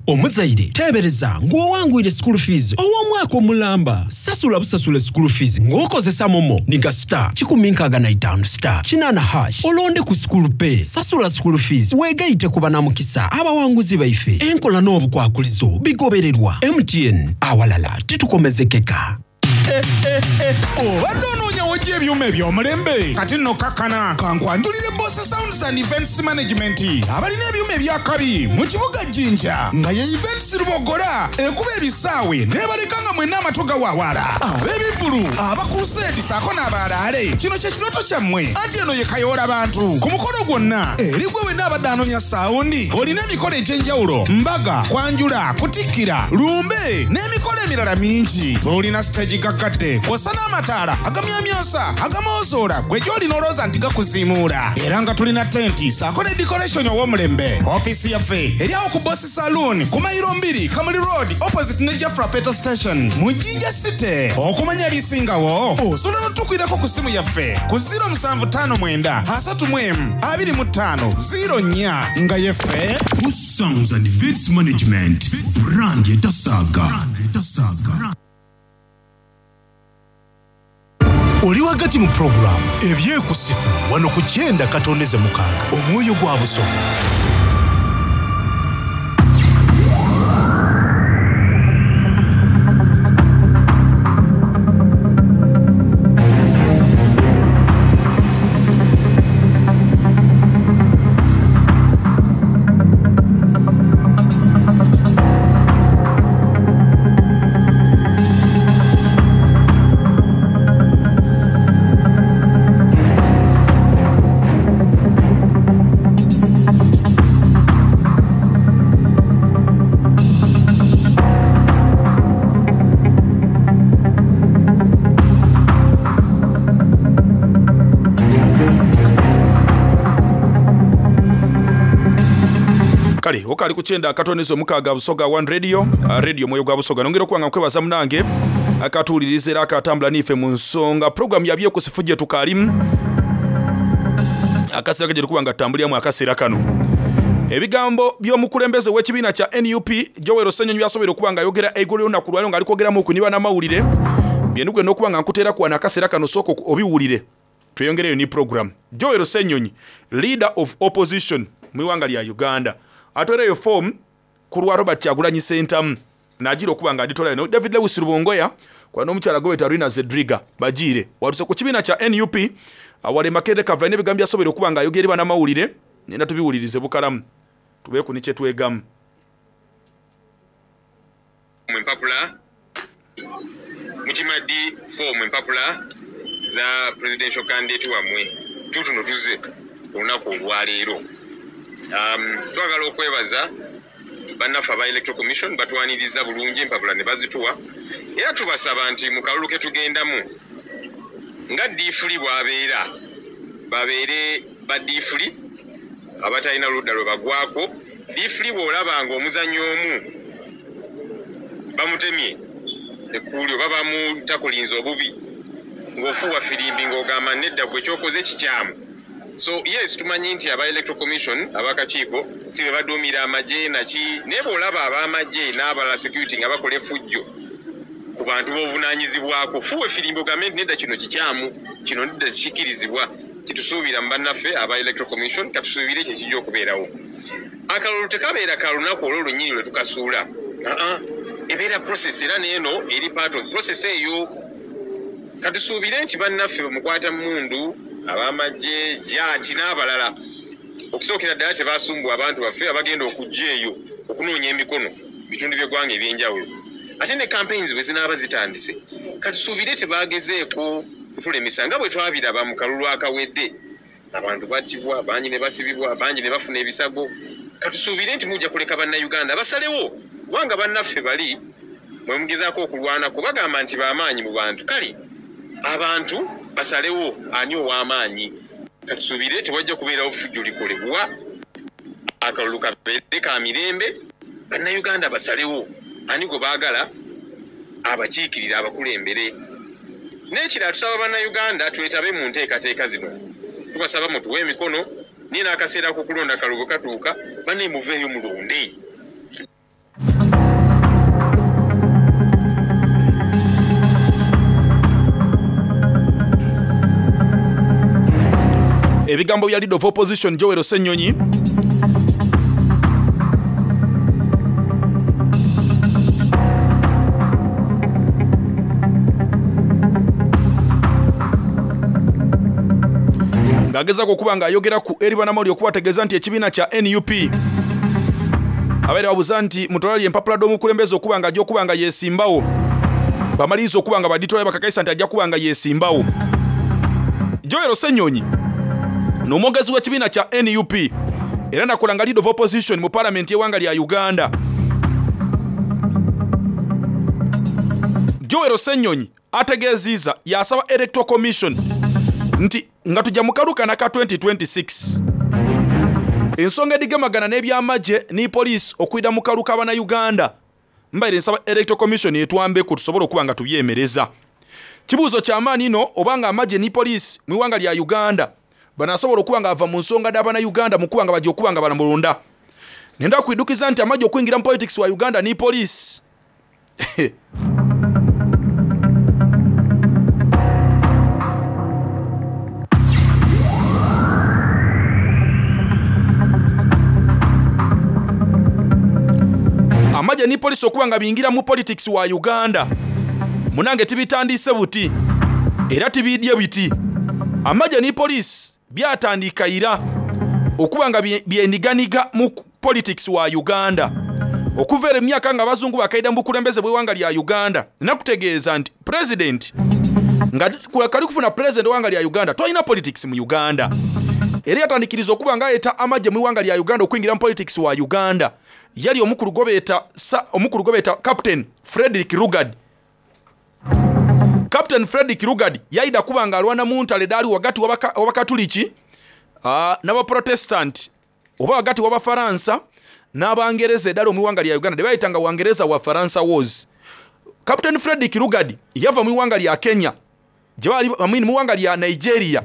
Omuzaire teebereza ng'owangwire school fees ow'omwaka omulamba sasula busasula school fees ng'okozesa momo ninga star kikumi nkaaga na itaano star kinaana hash olonde ku school pay sasula school fees weegayite ku banamukisa abawanguzi baife enkola n'obukwakulizo bigobererwa. M T N awalala titukomezekeka. Obadde onoonya w'ojja ebyuma eby'omulembe kati nno kakkana kankwanjulire Boss Sounds and Events Management abalina ebyuma ebyakabi mu kibuga Jinja nga ye Events Lubogola ekuba ebisaawe n'ebaleka nga mwenna amatu gawaawala ab'ebivvulu abakuseedi ssaako n'abalaale. Kino kye kirooto kyammwe anti eno ye kayoola bantu ku mukolo gwonna eri gwe wenna abadde anoonya saawundi olina emikolo egy'enjawulo mbaga kwanjula kutikkira lumbe n'emikolo emirala mingi. Tulina siteegi gaggadde kw'ossa n'amataala agamyamyansa agamoozola gwe gy'olina olowooza nti gakuziimuula era nga tulina tenti ssaako ne decoration ow'omulembe. Ofiisi yaffe eri awo ku Boss Saloon ku mayiro mbiri Kamuli Road opposite ne Jafra Petrol Station mu Jinja City. Okumanya ebisingawo osobola n'otukwirako ku ssimu yaffe ku ziro musanvu ttaano mwenda asatu mu emu abiri mu ttaano ziro nnya nga yeffe Boss Sounds and Events Management brand etasaaga. Oli wagati mu pulogulaamu ebyekusifu wano ku kyenda katondeze mukaaga omwoyo gwa Busoga. Kale okali kukyenda akatonezo mukaaga Busoga One Radio, radio mwoyo gwa Busoga. Nongera okuba nga nkwebaza munange akatuwuliriza era akatambula n'ife mu nsonga program ya byekusifu gye tukaalimu Akaseera kagye tukuba nga tutambuliramu akaseera kano. Ebigambo by'omukulembeze w'ekibiina kya N U P Joel Ssenyonyi byasobola okuba nga ayogera eggulo ly'olunaku lwaleero ng'ali kwogeramu ku bannamawulire. Byenugenda okuba nga nkuteera ku wano akaseera kano, sooka obiwulire tweyongereyo ni program. Joel Ssenyonyi, leader of opposition mu ggwanga lya Uganda, atwereyo form ku lwa Robert Kyagulanyi Ssentamu n'agira okuba nga aditolayo no David Lewis Rubongoya kwa n'omukyala gw'oyita Rina Zedriga bagiire waluse ku kibiina kya N U P awale Makerere Kavula n'ebigambo byasobola okuba nga ayogera bannamawulire. Nenda tubiwulirize bukalamu tubeeku ne kye twegamu. Empapula mukimaddi form empapula za presidential candidate wammwe tutuno tuze olunaku olwaleero. Um, twagala okwebaza bannaffe aba Electoral Commission batwaniriza bulungi empapula ne bazituwa, era tubasaba nti mu kalulu ke tugendamu nga ddiifuli bw'abeera babeere baddiifuli abatalina ludda lwe bagwako. Ddiifuli bw'olaba ng'omuzannyo omu bamutemye ekkuuli oba bamutakulinza obubi ng'ofuuwa firimbi ng'ogamba nedda gwe kyokoze kikyamu. So yes, tumanyi nti aba Electoral Commission abakakiiko si be baduumira amagye naki, naye bw'olaba ab'amagye n'abalala security nga bakola effujjo ku bantu b'ovunaanyizibwako, fuuwa efirimbi ogambe nti nedda kino kikyamu, kino nedda kikkirizibwa. Kitusuubira mu bannaffe aba Electoral Commission, katusuubire ekyo ekijja okubeerawo. Akalulu tekabeera ka lunaku olwo lwennyini lwe tukasuula, aa ebeera process, era n'eno eri part of process eyo. Katusuubire nti bannaffe bamukwata mmundu ab'amagye jaati n'abalala okusookera ddala tebasumbuwa abantu baffe abagenda okujja eyo okunoonya emikono bitundu by'eggwanga eby'enjawulo. Ate ne campaigns bwe zinaaba zitandise, katusuubire tebagezeeko kutulemesa nga bwe twabiraba mu kalulu akawedde. Abantu battibwa, bangi ne basibibwa, bangi ne bafuna ebisago. Katusuubire nti mujja kuleka bannayuganda basalewo, kubanga bannaffe bali mwe mugezaako okulwanako bagamba nti b'amaanyi mu bantu. Kale abantu basalewo ani ow'amaanyi. Katusuubire tewajja kubeerawo ffujjo likolebwa, akalulu kabeere ka mirembe, bannayuganda basalewo ani gwe baagala abakiikirira abakulembere. N'ekirala tusaba bannayuganda twetabe mu nteekateeka zino, tubasaba mutuwe emikono, naye n'akaseera k'okulonda kalulu katuuka, banne muveeyo mulonde. Ebigambo bya leader of opposition Joel Ssenyonyi ng'agezaako okuba ng'ayogera ku eri bannamawulire okubategeeza nti ekibiina kya N U P abeera babuuza nti mutwalire empapula d'omukulembeze okuba nga ajja okuba nga yeesimbawo, bamaliriza okuba nga baditwala bakakaisa nti ajja kuba nga yeesimbawo. Joel Ssenyonyi n'omwogezi w'ekibiina kya N U P era nakola nga leader of opposition mu parliament y'eggwanga lya Uganda. Joel Ssenyonyi ategeezizza yasaba Electoral Commission nti nga tujja mu kalukana ka twenty twenty-six ensonga edigemagana n'ebyamagye ne poliisi okuyita mu kalu k'abannayuganda, mbaire nsaba Electoral Commission etwambeku tusobole okuba nga tubyemereza. Kibuuzo ky'amaanyi nno obanga amagye ne poliisi mu ggwanga lya Uganda banasobola okuba nga ava mu nsonga d'abannayuganda mu kuba nga bajja okuba nga balamulonda. Nenda kwidukiza nti amagye okuyingira mu politics wa Uganda ne poliisi amagye ni poliisi okuba nga bingira mu politics wa Uganda munange tibitandise buti era tibidye biti. Amagye ni poliisi byatandika ira okuba nga byendiganiga mu politics wa Uganda okuva emyaka nga abazungu bakaida mu bukulembeze bw'eggwanga lya Uganda. Nakutegeeza nti president nga kali kufuna president w'eggwanga lya Uganda tolina politics mu Uganda. Era yatandikiriza okuba nga ayeta amagye mu ggwanga lya Uganda okuyingira mu politics wa Uganda. Yali omukulu gobeeta omukulu gobeeta Captain Frederick Lugard. Captain Frederick Lugard yaida kuba nga alwana mu ntale dali wagati w'abakatuliki uh, n'abaprotestant oba wagati w'abafaransa n'abangereza eddala mu ggwanga lya Uganda de bayitanga Wangereza wa Faransa Wars. Captain Frederick Lugard yava mu ggwanga lya Kenya gye bali mu ggwanga lya Nigeria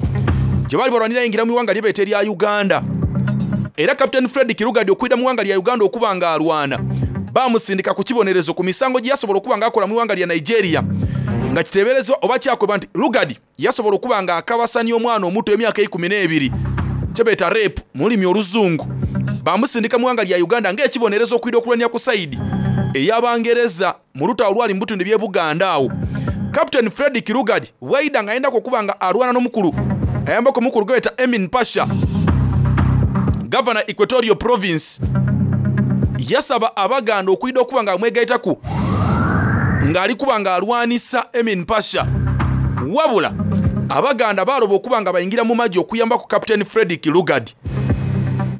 Gye baali balwanira yingira mu iwanga lyebeeta erya Uganda. Era Captain Frederick Lugard okwida mu iwanga lya Uganda okuba nga alwana, bamusindika ku kibonerezo ku misango gye yasobola okuba nga akola mu iwanga lya Nigeria, nga kiteeberezebwa oba kyakweba nti Lugard yasobola okuba nga akabasanya omwana omuto emyaka ikumi n'ebiri, kyebeeta rape mu lulimi oluzungu. Bamusindika mu iwanga lya Uganda ng'ekibonerezo okwida okulwanya ku sayidi ey'Abangereza mu lutalo olwali mu bitundu by'e Buganda awo. Captain Frederick Lugard bw'ayida ng'ayendako okuba nga alwana n'omukulu ayambako omukulu gwe beeta Emin Pasha, Governor Equatorial Province, yasaba Abaganda okwida okuba nga amwegaitaku ng'ali kuba nga alwanisa Emin Pasha. Wabula Abaganda baaloba okuba nga bayingira mu magye okuyambako Captain Frederick Lugard.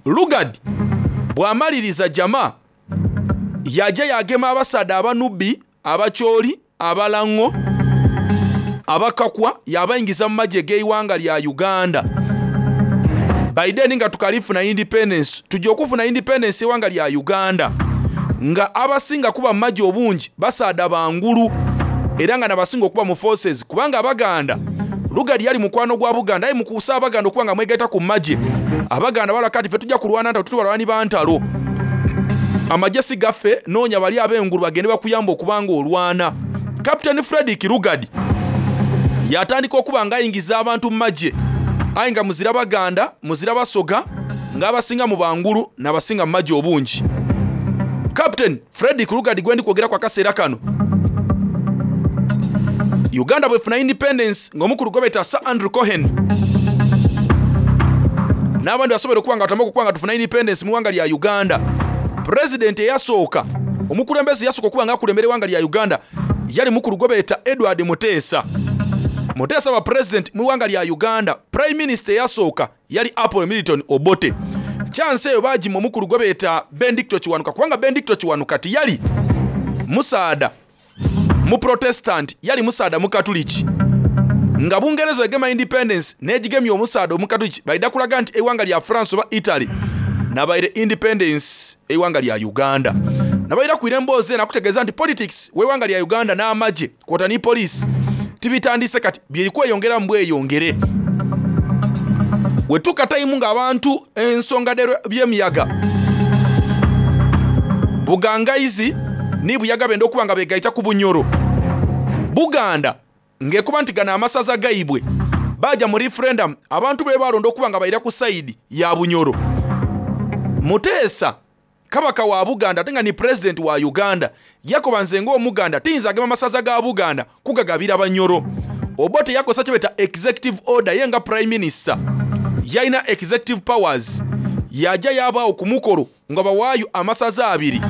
Lugard bw'amaliriza jama yajja yagema abasaadha Abanubi, Abacholi, Abalango, Abakakwa, yabayingiza mu magye g'eiwanga lya Uganda. By then nga tukalifuna independence, tujja okufuna independence eiwanga lya Uganda nga abasinga kuba mu magye obungi basaadha bangulu, era nga nabasinga okuba mu forces, kubanga Abaganda Lugard yali mukwano gwa Buganda, aye mukuusa Abaganda okuba nga mwegaita ku magye. Abaganda bala kati ffe tujja kulwana ntalo, tuli balwani ba ntalo, amagye si gaffe, noonya bali ab'engulu bagende bakuyamba okuba nga olwana. Captain Frederick Lugard yatandika okuba nga ayingiza abantu mu magye, aye nga muzira Baganda, muzira Basoga, ng'abasinga mu bangulu n'abasinga mu magye obungi. Captain Frederick Lugard gwe ndi kwogera kwa kaseera kano, Uganda bwefuna independence ng'omukulu gwe beeta Sir Andrew Cohen n'abandi basobola okuba nga batandika okuba nga tufuna independence mu ggwanga lya Uganda. President eyasooka, omukulembeze yasooka okuba nga akulembera eggwanga lya Uganda yali mukulu gwe beeta Edward Muteesa. Muteesa wa president mu ggwanga lya Uganda. Prime Minister eyasooka yali Apollo Milton Obote. Chance eyo baagima omukulu gwe beeta Benedicto Kiwanuka, kubanga Benedicto Kiwanuka tiyali musaada mu Protestant, yali musaada mu Katoliki. Nga Bungereza egema independence n'egigemya omusaada omukatoliki, baida kulaga nti eiwanga lya France oba Italy nabaire independence eiwanga lya Uganda. Nabaira kwira emboozi eno akutegeeza nti politics w'eiwanga lya Uganda n'amagye kwota ni police tibitandise kati, byeri kweyongera mbweyongere. Wetuuka tayimu ng'abantu ensonga by'emiyaga Bugangaizi ni Buyaga benda okuba nga begaita ku Bunyoro. Buganda ng'ekuba nti gano amasaza gaibwe baja mu referendum, abantu be balonda okuba nga bayira ku sayidi ya Bunyoro. Muteesa kabaka wa Buganda ate nga ni president wa Uganda yakoba nze ng'Omuganda tiyinza agema amasaza ga Buganda kugagabira Banyoro. Obote yakosa kye beeta executive order, ye nga prime minister yalina executive powers, yajja yabaawo ku mukolo nga bawaayo amasaza abiri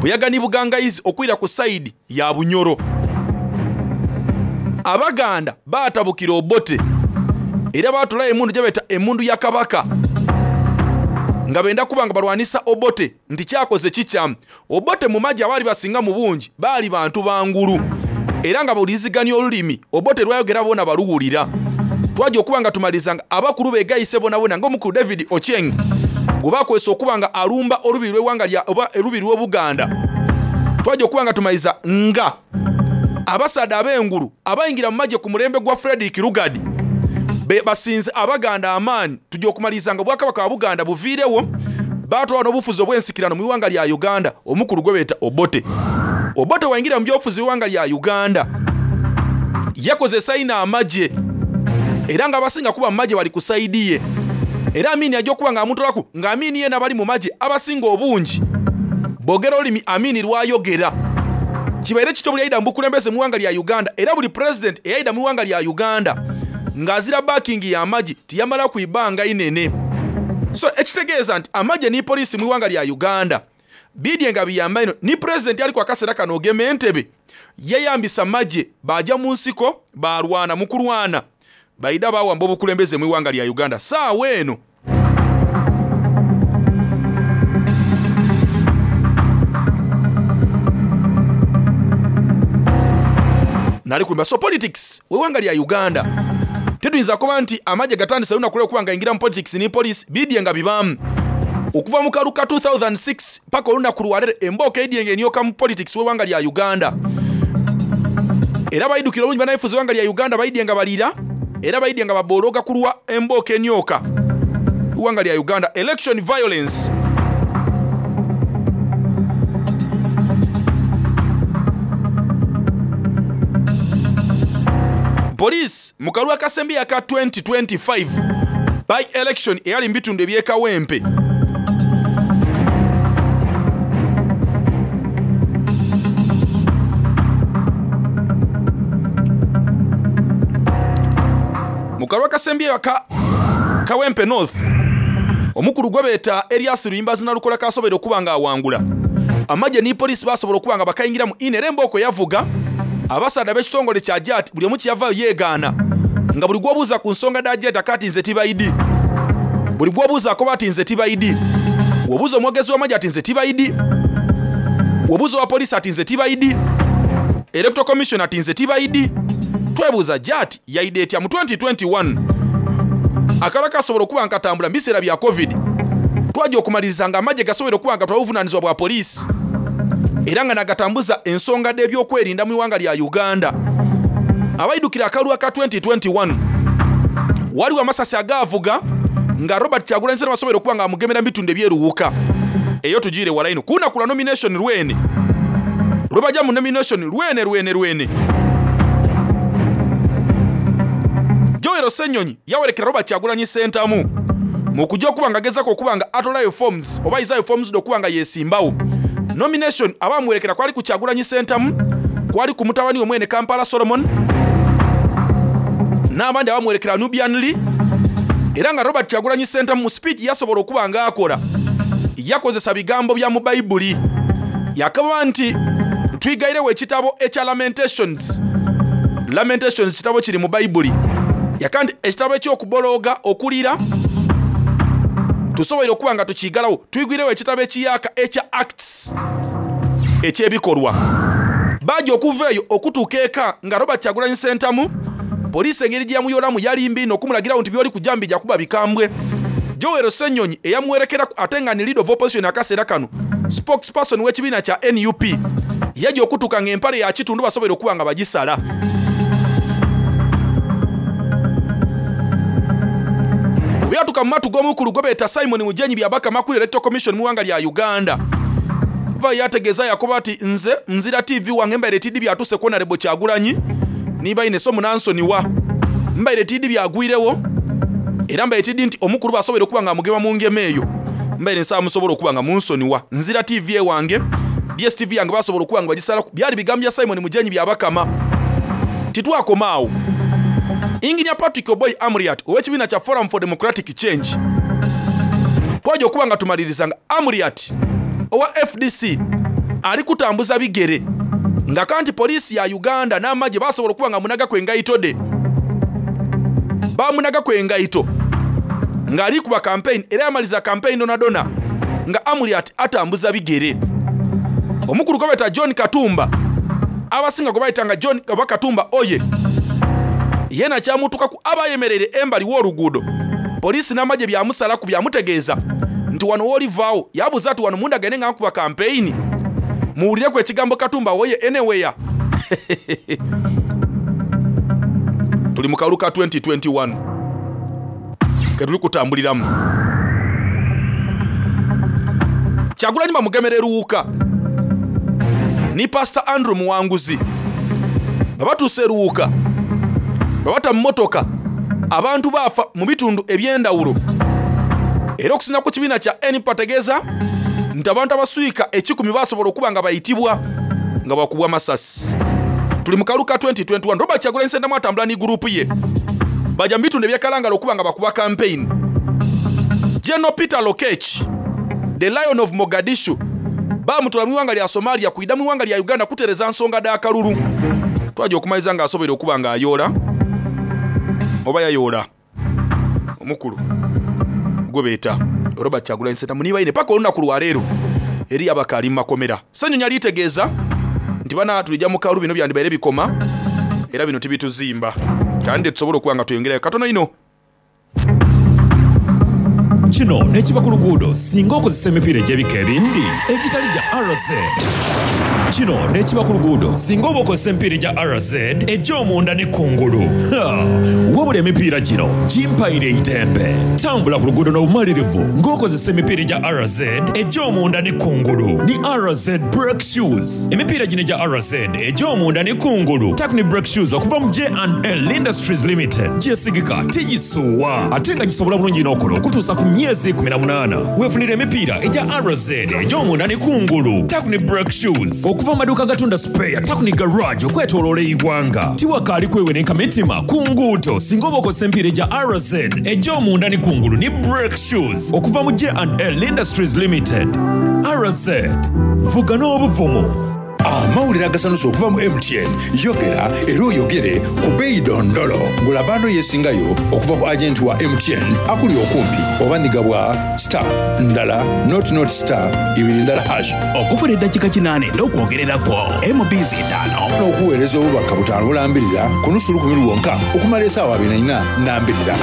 Buyaga ni Bugangaizi okwira ku sayidi ya Bunyoro. Abaganda baatabukira Obote era baatulayo emmundu gye beeta emmundu ya Kabaka nga benda kuba nga balwanisa Obote nti kyakoze kikyamu. Obote mu magye abaali basinga mu bungi baali bantu bangulu, era nga bawuliziganya olulimi Obote lwayogera bona baluwulira. Twajja okuba nga tumaliza nga abakulu beegayise bonabona ng'omukulu David Ochieng gwe bakozesa okuba nga alumba olubiri lw'eggwanga lya oba olubiri lw'Obuganda. Twajja okuba nga tumaliza nga abasaadha ab'engulu abayingira mu magye ku mulembe gwa Frederick Lugard be basinze Abaganda amaanyi. Tujja okumaliriza nga Obwakabaka bwa Buganda buviirewo, baatwala n'obufuzi obw'ensikirano mu ggwanga lya Uganda omukulu gwe beeta Obote. Obote wayingira mu byobufuzi bw'eggwanga lya Uganda yakozesa ino amagye, era ng'abasinga kuba mu magye bali ku sayidi ye. Era Amini ajja okuba ng'amutolaku nga Amini ye n'abali mu magye abasinga obungi boogera olulimi Amini lw'ayogera. Kibaire kityo buli yayida mu bukulembeze mu ggwanga lya Uganda, era buli president eyayida mu ggwanga lya Uganda ng'azira backing y'amagye tiyamala ku ibanga inene. So ekitegeeza nti amagye ni poliisi mu ggwanga lya Uganda bidye nga biyamba ino. Ni president ali ku akaseera kano ogema Entebbe yeyambisa magye, bajja mu nsiko balwana mu kulwana baida bawamba obukulembeze mu ggwanga lya Uganda. Saawa eno nali kulimba. So politics w'eggwanga lya Uganda tetuyinza kuba nti amagye gatandise lunaku lwe okuba nga ayingira mu politics ni police bidye nga bibaamu okuva mu kalu ka two thousand six paka olunaku lwaleero embooka edye nga enyoka mu politics w'eggwanga lya Uganda. Era bayidukira obulungi bannabyabufuzi b'eggwanga lya Uganda bayidye nga balira Era baidye nga babologa kulwa embooka enyoka iwanga lya Uganda. Election violence. Police mu kalulu akasembi aka twenty twenty-five by election eyali mu bitundu eby'e Kawempe mu kalulu akasembi aka Kawempe North, omukulu gwe beeta Erias Luyimbazi Nalukola kasobola okuba nga awangula. Amagye ni poliisi basobola okuba nga bakayingira mu ine era embooko yavuga. Abasaadha b'ekitongole kya Jat buli omu kyeyavaayo yeegaana, nga buli gw'obuuza ku nsonga dha Jat akati nze tibaidi, buli gw'obuuza akoba ati nze tibaidi, wobuuza omwogezi w'amagye ati nze tibaidi, wobuuza owa poliisi ati nze tibaidi, Electoral Commission ati nze tibaidi. Twebuuza Jat yaida etya mu twenty twenty-one akalala kasobola okuba nga katambula mu biseera bya COVID. Twajja okumaliriza nga amagye gasobola okuba nga twawuvunaanyizibwa bwa poliisi era nga nagatambuza ensonga dh'ebyokwerinda mu iwanga lya Uganda. Abaidukira akalulu aka twenty twenty-one waliwo amasasi agaavuga nga Robert Kyagulanyi Ssentamu asobola okuba nga amugemera mu bitundu ebyeruwuka. Eyo tugiire wala ino kunaku lwa nomination lwene lwe bajja mu nomination lwene lwene lwene. Joel Ssenyonyi yawerekera Robert Kyagulanyi Ssentamu mu kujja okuba nga agezaako okuba nga atolayo forms oba ayizayo forms okuba nga yeesimbawo. Nomination abamuwerekera kwali ku Kyagulanyi Ssentamu, kwali ku mutabani we mwene Kampala Solomon, n'abandi abamuwerekera Nubian Lee. Era nga Robert Kyagulanyi Ssentamu mu speech yasobola okuba nga akola yakozesa bigambo bya mu Bayibuli. Yakaba nti twigairewo ekitabo ekya Lamentations. Lamentations kitabo kiri mu Bayibuli. Yaka nti ekitabo eky'okubologa okulira tusobola okuba nga tukigalawo. Twigwirewo ekitabo ekiyaka ekya Acts ekyebikolwa. Bajja okuva eyo okutuuka eka nga Robert Kyagulanyi Ssentamu poliisi engeri gye yamuyolamu yali mbi n'okumulagirawo nti by'oli kujja mbijja kuba bikambwe. Joel Ssenyonyi eyamuwerekera ate nga ni leader of opposition akaseera kano, spokesperson w'ekibiina kya N U P, yajja okutuuka ng'empale ya kitundu basobola okuba nga bagisala. Byatuka mu matu g'omukulu gwe beeta Simon Mujenyi Byabakama kuli Electoral Commission mu ggwanga lya Uganda. Va yategeeza yakoba ati nze nzira T V wange mbaire T D byatuse ku Honorable Kyagulanyi niba ine so munansoniwa mbaire T D byagwirewo era mbaire T D nti omukulu basobola okuba nga mugema mu ngema eyo mbaire nsaba musobola okuba nga munsoniwa nzira T V wange D S T V yange basobola okuba nga bagisala. Byali bigambo bya Simon Mujenyi Byabakama. Titwakomaawo. Engineer Patrick Oboi Amuriat ow'ekibiina kya Forum for Democratic Change twajja okuba nga tumaliriza nga Amuriat owa F D C ali kutambuza bigere nga kanti poliisi ya Uganda n'amagye basobola okuba nga munagako engaito de bamunagako engaito ng'ali kuba campaign era yamaliza campaign donadona nga Amuriat atambuza bigere. Omukulu gwe bayita John Katumba abasinga gwe bayitanga John Katumba oye yena kyamutukaku abayemerere embali w'oluguudo poliisi n'amagye byamusalaku byamutegeeza nti wano w'olivaawo. Yabuuza ati wano mundagane nga nkuba campaign muwulireku ekigambo Katumba oye anywhere. Tuli mu kalulu ka twenty twenty-one ke tuli kutambuliramu. Kyagulanyi bamugemera eruwuka ni Pastor Andrew Muwanguzi babatuuse eruwuka babata mu mmotoka abantu baafa mu bitundu eby'endawulo. Era okusinga ku kibiina kya N P ategeeza nti abantu abaswika ekikumi basobola okuba nga bayitibwa nga bakubwa masasi. Tuli mu kalulu ka twenty twenty-one. Robert Kyagulanyi Ssentamu atambula ni gurupu ye bajja mu bitundu ebyekalangala okuba nga bakuba campaign. General Peter Lokech the Lion of Mogadishu bamutwala mu ggwanga lya Somalia kuyida mu ggwanga lya Uganda kutereza nsonga dh'akalulu. Twajja okumaliza ng'asobola okuba ng'ayoola oba yayoola omukulu gwe beeta Robert Kyagulanyi Ssentamu nibaine paka olunaku lwaleero eri abakaali mu makomera. Ssenyonyi alitegeeza nti bana tulijja mu kalulu bino byandibaire bikoma era bino tibituzimba kandi tusobola okuba nga tuyongerayo katono ino. Kino n'ekiba ku luguudo singa okozesa emipiira egy'ebika ebindi egitali gya R Z. Kino n'ekiba ku luguudo singa oba okozesa emipiira egya R Z egy'omunda ne kungulu. Ha! Wabula emipiira gino gimpaire eitembe. Tambula ku luguudo n'obumalirivu ng'okozesa emipiira egya R Z egy'omunda ne kungulu. Ni R Z Brake Shoes. Emipiira gino egya R Z egy'omunda ne kungulu. Takuni Brake Shoes okuva mu J and L Industries Limited. Gyesigika tigisuwa ate nga gisobola bulungi n'okola okutuusa ku myezi kumi na munaana. Weefunire emipiira egya R Z egy'omunda ne kungulu. Takuni Brake Shoes okuva mu maduuka agatunda spare Takuni Garage okwetooloola eggwanga. Tiwakaali kwewerenka mitima ku nguudo singa oba okozesa emipiira egya R Z egy'omunda ne kungulu ni Brake Shoes okuva mu J and L Industries Limited. R Z, vuga n'obuvumu. Amawulire agasanusa okuva mu M T N. Yogera era oyogere ku bbeeyi dondolo. Gula bando yeesingayo okuva ku agenti wa M T N akuli okumpi oba nigabwa star ndala not not star ibiri ndala hash. Okufuna eddakiika kinaana n'okwogererako M B Z ttaano. N'okuweereza obubaka butaano bulambirira ku nusu lukumi lwonka okumala essaawa abiri na nnya nnambirira.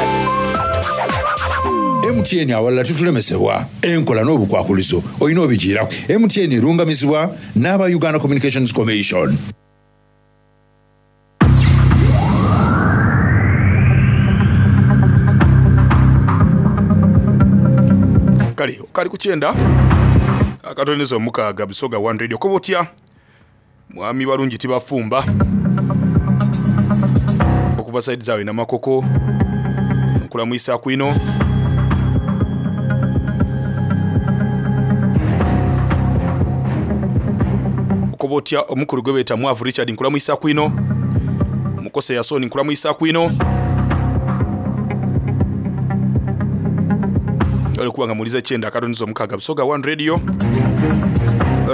M T N awalala tutulemesebwa enkola n'obukwakulizo olina obigiirako. M T N erungamizibwa n'aba Uganda Communications Commission. Kale okali ku kyenda akatonezo omukaaga Busoga One Radio. Koba otya mwami balungi tibafumba okuva side zaabwe Namakoko nkulamwisa kwino. Okoba otya omukulu gwe beeta Mwavu Richard nkulamwisa kwino. Mukose Yasoni nkulamwisa kwino. Ole kubanga mulize kyenda akatonizo omukaaga Busoga One Radio,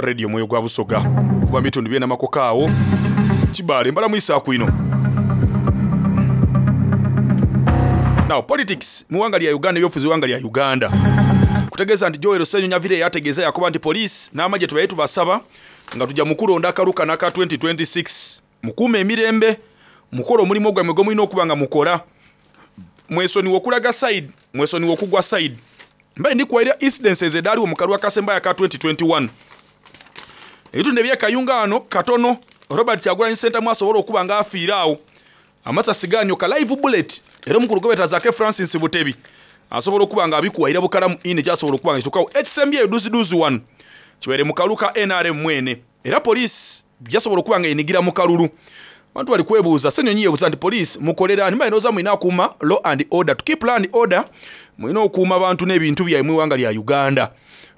radio mwoyo gwa Busoga okuva mu bitundu by'e Namakoko awo Kibaale mbalamwisa kwino. Now politics mu ggwanga lya Uganda, ebyobufuzi mu ggwanga lya Uganda kutegeeza nti Joel Ssenyonyi avire yategeeza yakuba nti poliisi n'amagye tubaye tubasaba nga tujja mukulonda akaluka n'aka twenty twenty-six mukuume emirembe, mukole omulimu gwammwe gwe mulina okuba nga mukola, mwesonyiwe okulaga side, mwesonyiwe okugwa side. Mbaye ndikuwaira incidences edaaliwo mu kalulu akasembayo aka twenty twenty-one. Ebitundu eby'e Kayunga ano katono Robert Kyagulanyi Ssentamu asobola okuba nga afiira awo amasasi ganyoka live bullet, era omukulu gwe beeta Zaake Francis Butebi asobola okuba nga abikuwaira bukalamu ine kyasobola okuba nga kituukawo. Ekisembyeyo duziduzi wano kibaire mu kalulu ka N R M mwene, era poliisi byasobola okuba nga yenigira mu kalulu. Abantu bali kwebuuza, Ssenyonyi yeebuuza nti poliisi mukolera ani? Mbalowooza mulina akuuma law and order. To keep law and order mulina okuuma abantu n'ebintu byammwe mu ggwanga lya Uganda,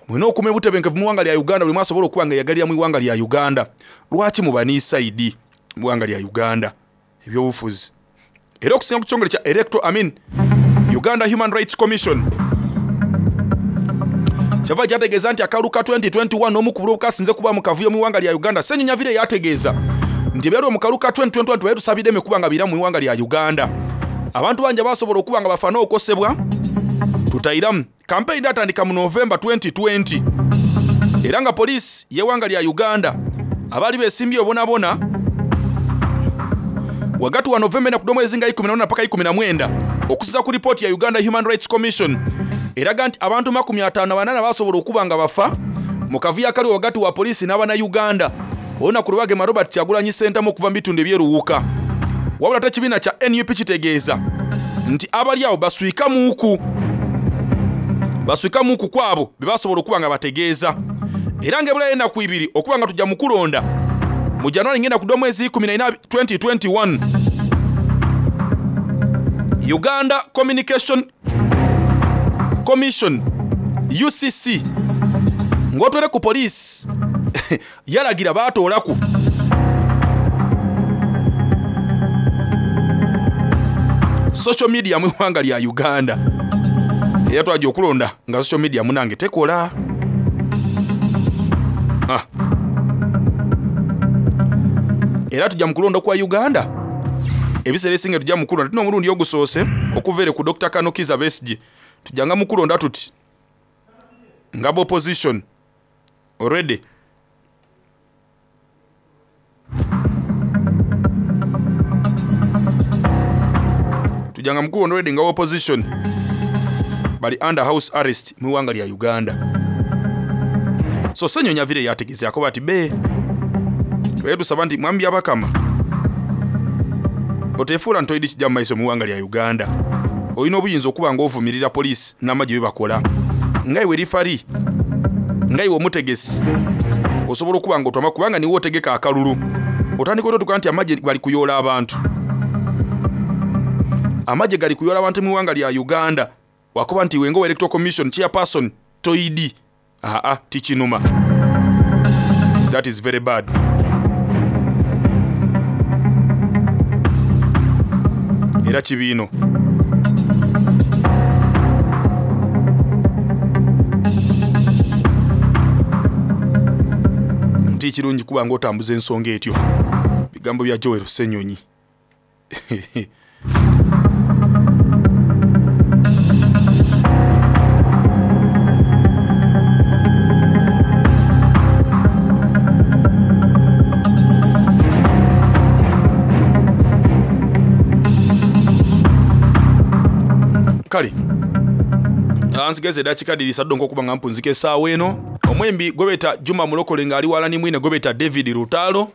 mulina okuuma obutebenkevu mu ggwanga lya Uganda, buli omu asobola okuba nga yeyagalira mu ggwanga lya Uganda. Lwaki muba ne side mu ggwanga lya Uganda ebyobufuzi? Era okusinga ku kitongole kya Electoral, I mean, Uganda Human Rights Commission kyava kyategeeza nti akalulu ka twenty twenty-one omu ku bululu kasinze kuba mu kavuyo mu ggwanga lya Uganda. Ssenyonyi avire yategeeza nti ebyaliwo mu kalulu ka twenty twenty-one tubaye tusabidde emikuba nga biramu mu ggwanga lya Uganda. Abantu bangi abasobola okuba nga bafa n'okosebwa tutayiramu. Campaign yatandika mu November twenty twenty era nga poliisi y'eggwanga lya Uganda abaali beesimbye obonabona wagati wa November na kudomwezi nga ikumi na paka ikumi na mwenda okusiza ku ripooti ya Uganda Human Rights Commission eraga nti abantu makumi ataano na banaana basobola okuba nga bafa mu kavuyo akali wagati wa poliisi n'abannayuganda. Olunaku lwe bagema Robert Kyagulanyi Ssentamu okuva mu bitundu eby'eruwuka. Wabula ate ekibiina kya N U P kitegeeza nti abali awo baswika muuku, baswika muuku kwabo be basobola okuba nga bategeeza. Era ng'ebulayo ennaku ibiri okuba nga tujja mu kulonda mu January ngenda kudda omwezi ikumi na ina twenty twenty-one. Uganda Communication Commission U C C ng'otwere ku poliisi yalagira baatoolaku social media mu ggwanga lya Uganda. Era twajja okulonda nga social media munange tekola. Ah. Era tujja mu kulonda kwa Uganda. Ebiseera ebisinga tujja mu kulonda. Tulina omulundi ogusoose okuva ere ku Doctor Kano Kizza Besigye. Tujjanga mu kulonda tuti nga opposition already. Tujjanga mu kulonda already nga opposition. Bali under house arrest mu iwanga lya Uganda. So Ssenyonyi avire yategeeza akoba ati be twetusaba nti mwami Byabakama otefuula ntoidi kijja mu maiso mu iwanga lya Uganda. Olina obuyinza okuba ng'ovumirira poliisi n'amagye bye bakola. Nga iwe rifari, nga iwe omutegesi, osobola okuba ng'otwama kubanga niwe otegeka akalulu. Otandika otutuka nti amagye bali kuyoola abantu. Amagye gali kuyoola abantu mu iwanga lya Uganda. Wakuba nti iwe ng'owa Electoral Commission chairperson toidi. Aa, tikinuma. That is very bad. Era kibiino. Nti kirungi kuba ng'otambuza ensonga etyo. Bigambo bya Joel Ssenyonyi. Kale ansigeze eddakiika bbiri saddo nk'okuba nga mpunzika essaawa eno. Omwembi gwe beeta Juma Mulokole ng'ali wala ni mwine gwe beeta David Lutalo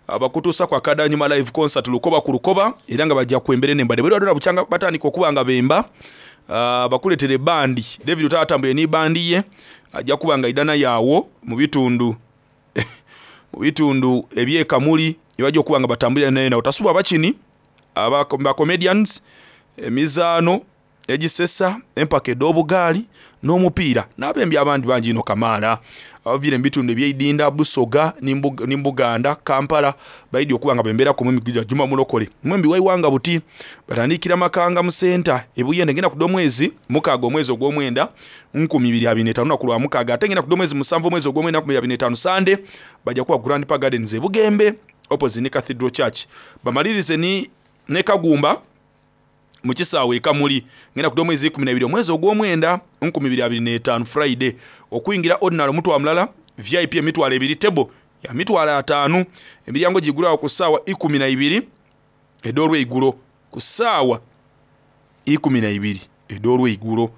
abakutuusa kwa Kadanyuma live concert Lukoba ku Lukoba, era nga bajja kwembere n'embadde. Bwe badona bukyanga batandika okuba nga bemba, uh, bakuleetere bandi. David Lutalo atambuye ni bandi ye ajja kuba nga idana yaawo mu bitundu mu bitundu eby'e Kamuli ebajja okuba nga batambulira naye nawo. Tasubwa bakini aba comedians, emizaano egisesa, empaka ed'obugaali n'omupiira n'abembi abandi bangi ino kamaala abaviire mu bitundu eby'eidinda, Busoga ni Buganda, Kampala baidi okuba nga bembeera ku mwembi gwa Juma Mulokole. Mwembi waiwanga buti batandikira Makanga mu senta ebuyende ngenda ku omwezi mukaaga omwezi ogw'omwenda nkumi bibiri abiri n'etaano lunaku lwa mukaaga, ate ngenda ku omwezi musanvu omwezi ogw'omwenda nkumi bibiri abiri n'etaano Sande bajja kuba Grand Park Gardens e Bugembe opposite ne Cathedral Church. Bamalirize ni ne Kagumba mu kisaawe e Kamuli ngenda ku omwezi ikumi na ibiri omwezi ogw'omwenda nkumi bibiri abiri n'etaano Friday. Okuyingira ordinary omutwalo mulala, V I P emitwalo ebiri, table ya mitwalo ataano. Emiryango gigulwawo ku ssaawa ikumi na ibiri ed'olweigulo, ku ssaawa ikumi na ibiri ed'olweigulo.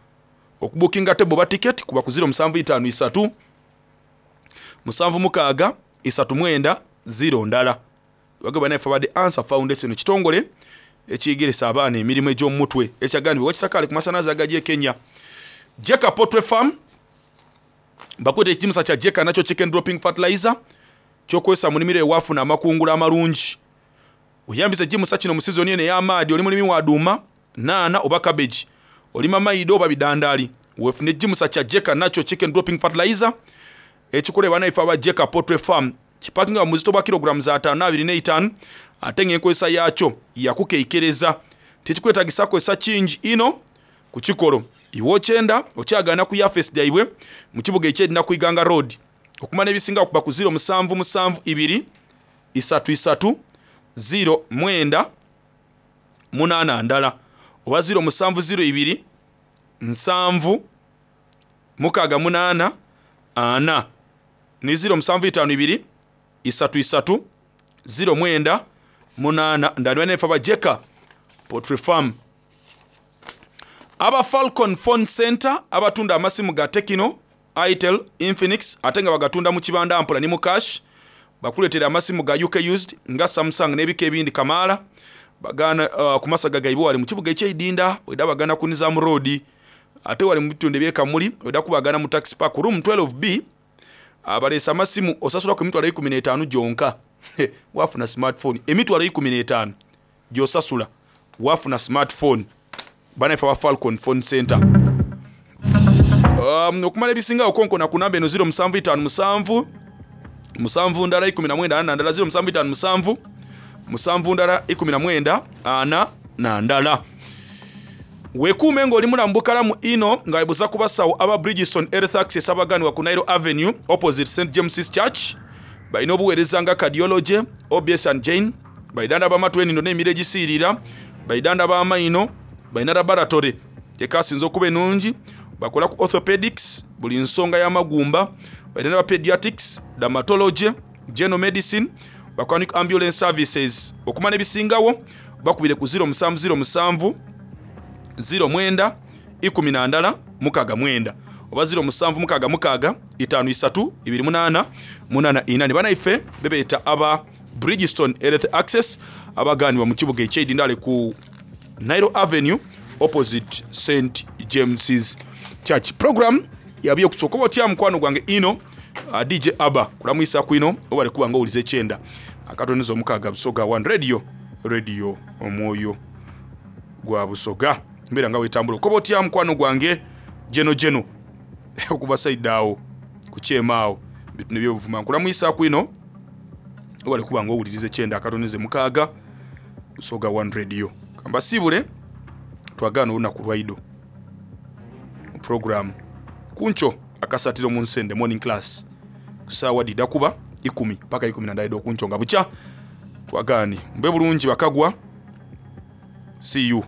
Okubukinga table ba ticket kuba ku zero musanvu itaano isatu musanvu mukaaga isatu mwenda zero ndala. Wagaba naye Fabade Answer Foundation kitongole ekiyigeresa abaana emirimu egy'omutwe ekyagambibwa wakisakaale ku masanaze agajja e Kenya. Jeka Poultry Farm bakwete ekigimusa kya Jeka nakyo chicken dropping fertilizer ky'okozesa mu nnimiro ewafuna amakungula amalungi. Oyambisa ekigimusa kino mu sizoni eno ey'amaadi, oli mulimi wa duuma, naana oba cabbage, olima mayido oba bidandaali. Weefune ekigimusa kya Jeka nakyo chicken dropping fertilizer ekikolebwa naife aba Jeka Poultry Farm. Kipakinga mu buzito bwa kilograms ataano n'abiri n'eitaano, ate ng'enkozesa yaakyo yakukeikereza. Tekikwetagisa kukozesa kingi ino ku kikolo. Iwe okyenda okyagaana ku yafesi gyaibwe mu kibuga eky'Edina ku Iganga Road. Okumanya ebisinga okuba ku zero musanvu musanvu ibiri isatu isatu zero mwenda munaana ndala oba zero musanvu zero ibiri nsanvu mukaaga munaana ana ni zero musanvu itaano ibiri isatu isatu zero mwenda munaana ndala. Nefa ba Jeka Poultry Farm. Aba Falcon Phone Center abatunda amasimu ga Tecno, Itel, Infinix ate nga bagatunda mu kibanda mpola ni mu cash. Bakuleetera amasimu ga U K used nga Samsung n'ebika ebindi kamaala. Bagana uh, ku masaga gaibwe wali mu kibuga eky'eidinda weda bagana ku Nizam Road, ate wali mu bitundu eby'e Kamuli weda kubagana mu Taxi Park room twelve B. Abaleesa amasimu osasula ku emitwalo ikumi n'etaano gyonka. Wafuna smartphone emitwalo ikumi n'etaano gy'osasula wafuna smartphone. Banaife aba Falcon Phone Center. Um, okumala ebisinga okonkona ku namba eno zero musanvu itaano musanvu musanvu ndala ikumi na mwenda ana ndala zero musanvu itaano musanvu musanvu ndala ikumi na mwenda ana na ndala. Wekuume ng'oli mulamu bukalamu ino nga webuza ku basawo aba Bridgestone Health Access abaganibwa ku Nile Avenue opposite Saint James's Church. Balina obuweereza nga cardiology, O B S and Jane, balidanda b'amatu enindo n'emiro egisiirira, balidanda b'amaino, balina laboratory ekasinze okuba ennungi, bakola ku orthopedics, buli nsonga y'amagumba, balina ba pediatrics, dermatology, general medicine, bakola ne ambulance services. Okumanya ebisingawo bakubire ku zero musanvu zero musanvu zero mwenda ikumi na ndala mukaaga mwenda oba ziro musanvu mukaaga mukaaga itaano isatu ibiri munaana munaana ina. Ni banaife bebeeta aba Bridgestone Health Access abaganibwa mu kibuga ekyeidindale ku Nile Avenue opposite Saint James's Church. Program yabye okusooka oba otya mukwano gwange ino uh, D J Abba kulamwisa kwino obale kuba nga owuliza ekyenda akatoniza omukaaga Busoga One Radio, radio omwoyo gwa Busoga. Mbeera nga wetambula okoba otya mukwano gwange jeno jeno okuva saidi awo kukyema awo bitu nebyobuvuma nkulamwisa kwino obale kuba nga owuliriza ekyenda akatonize mukaaga Busoga One Radio. Kambasiibule twagaana olunaku lwaido mu program kunco akasatiro mu nsende morning class kusaawa dida kuba ikumi paka ikumi na ndala okunco nga bukya twagaani mbe bulungi bakagwa. See you.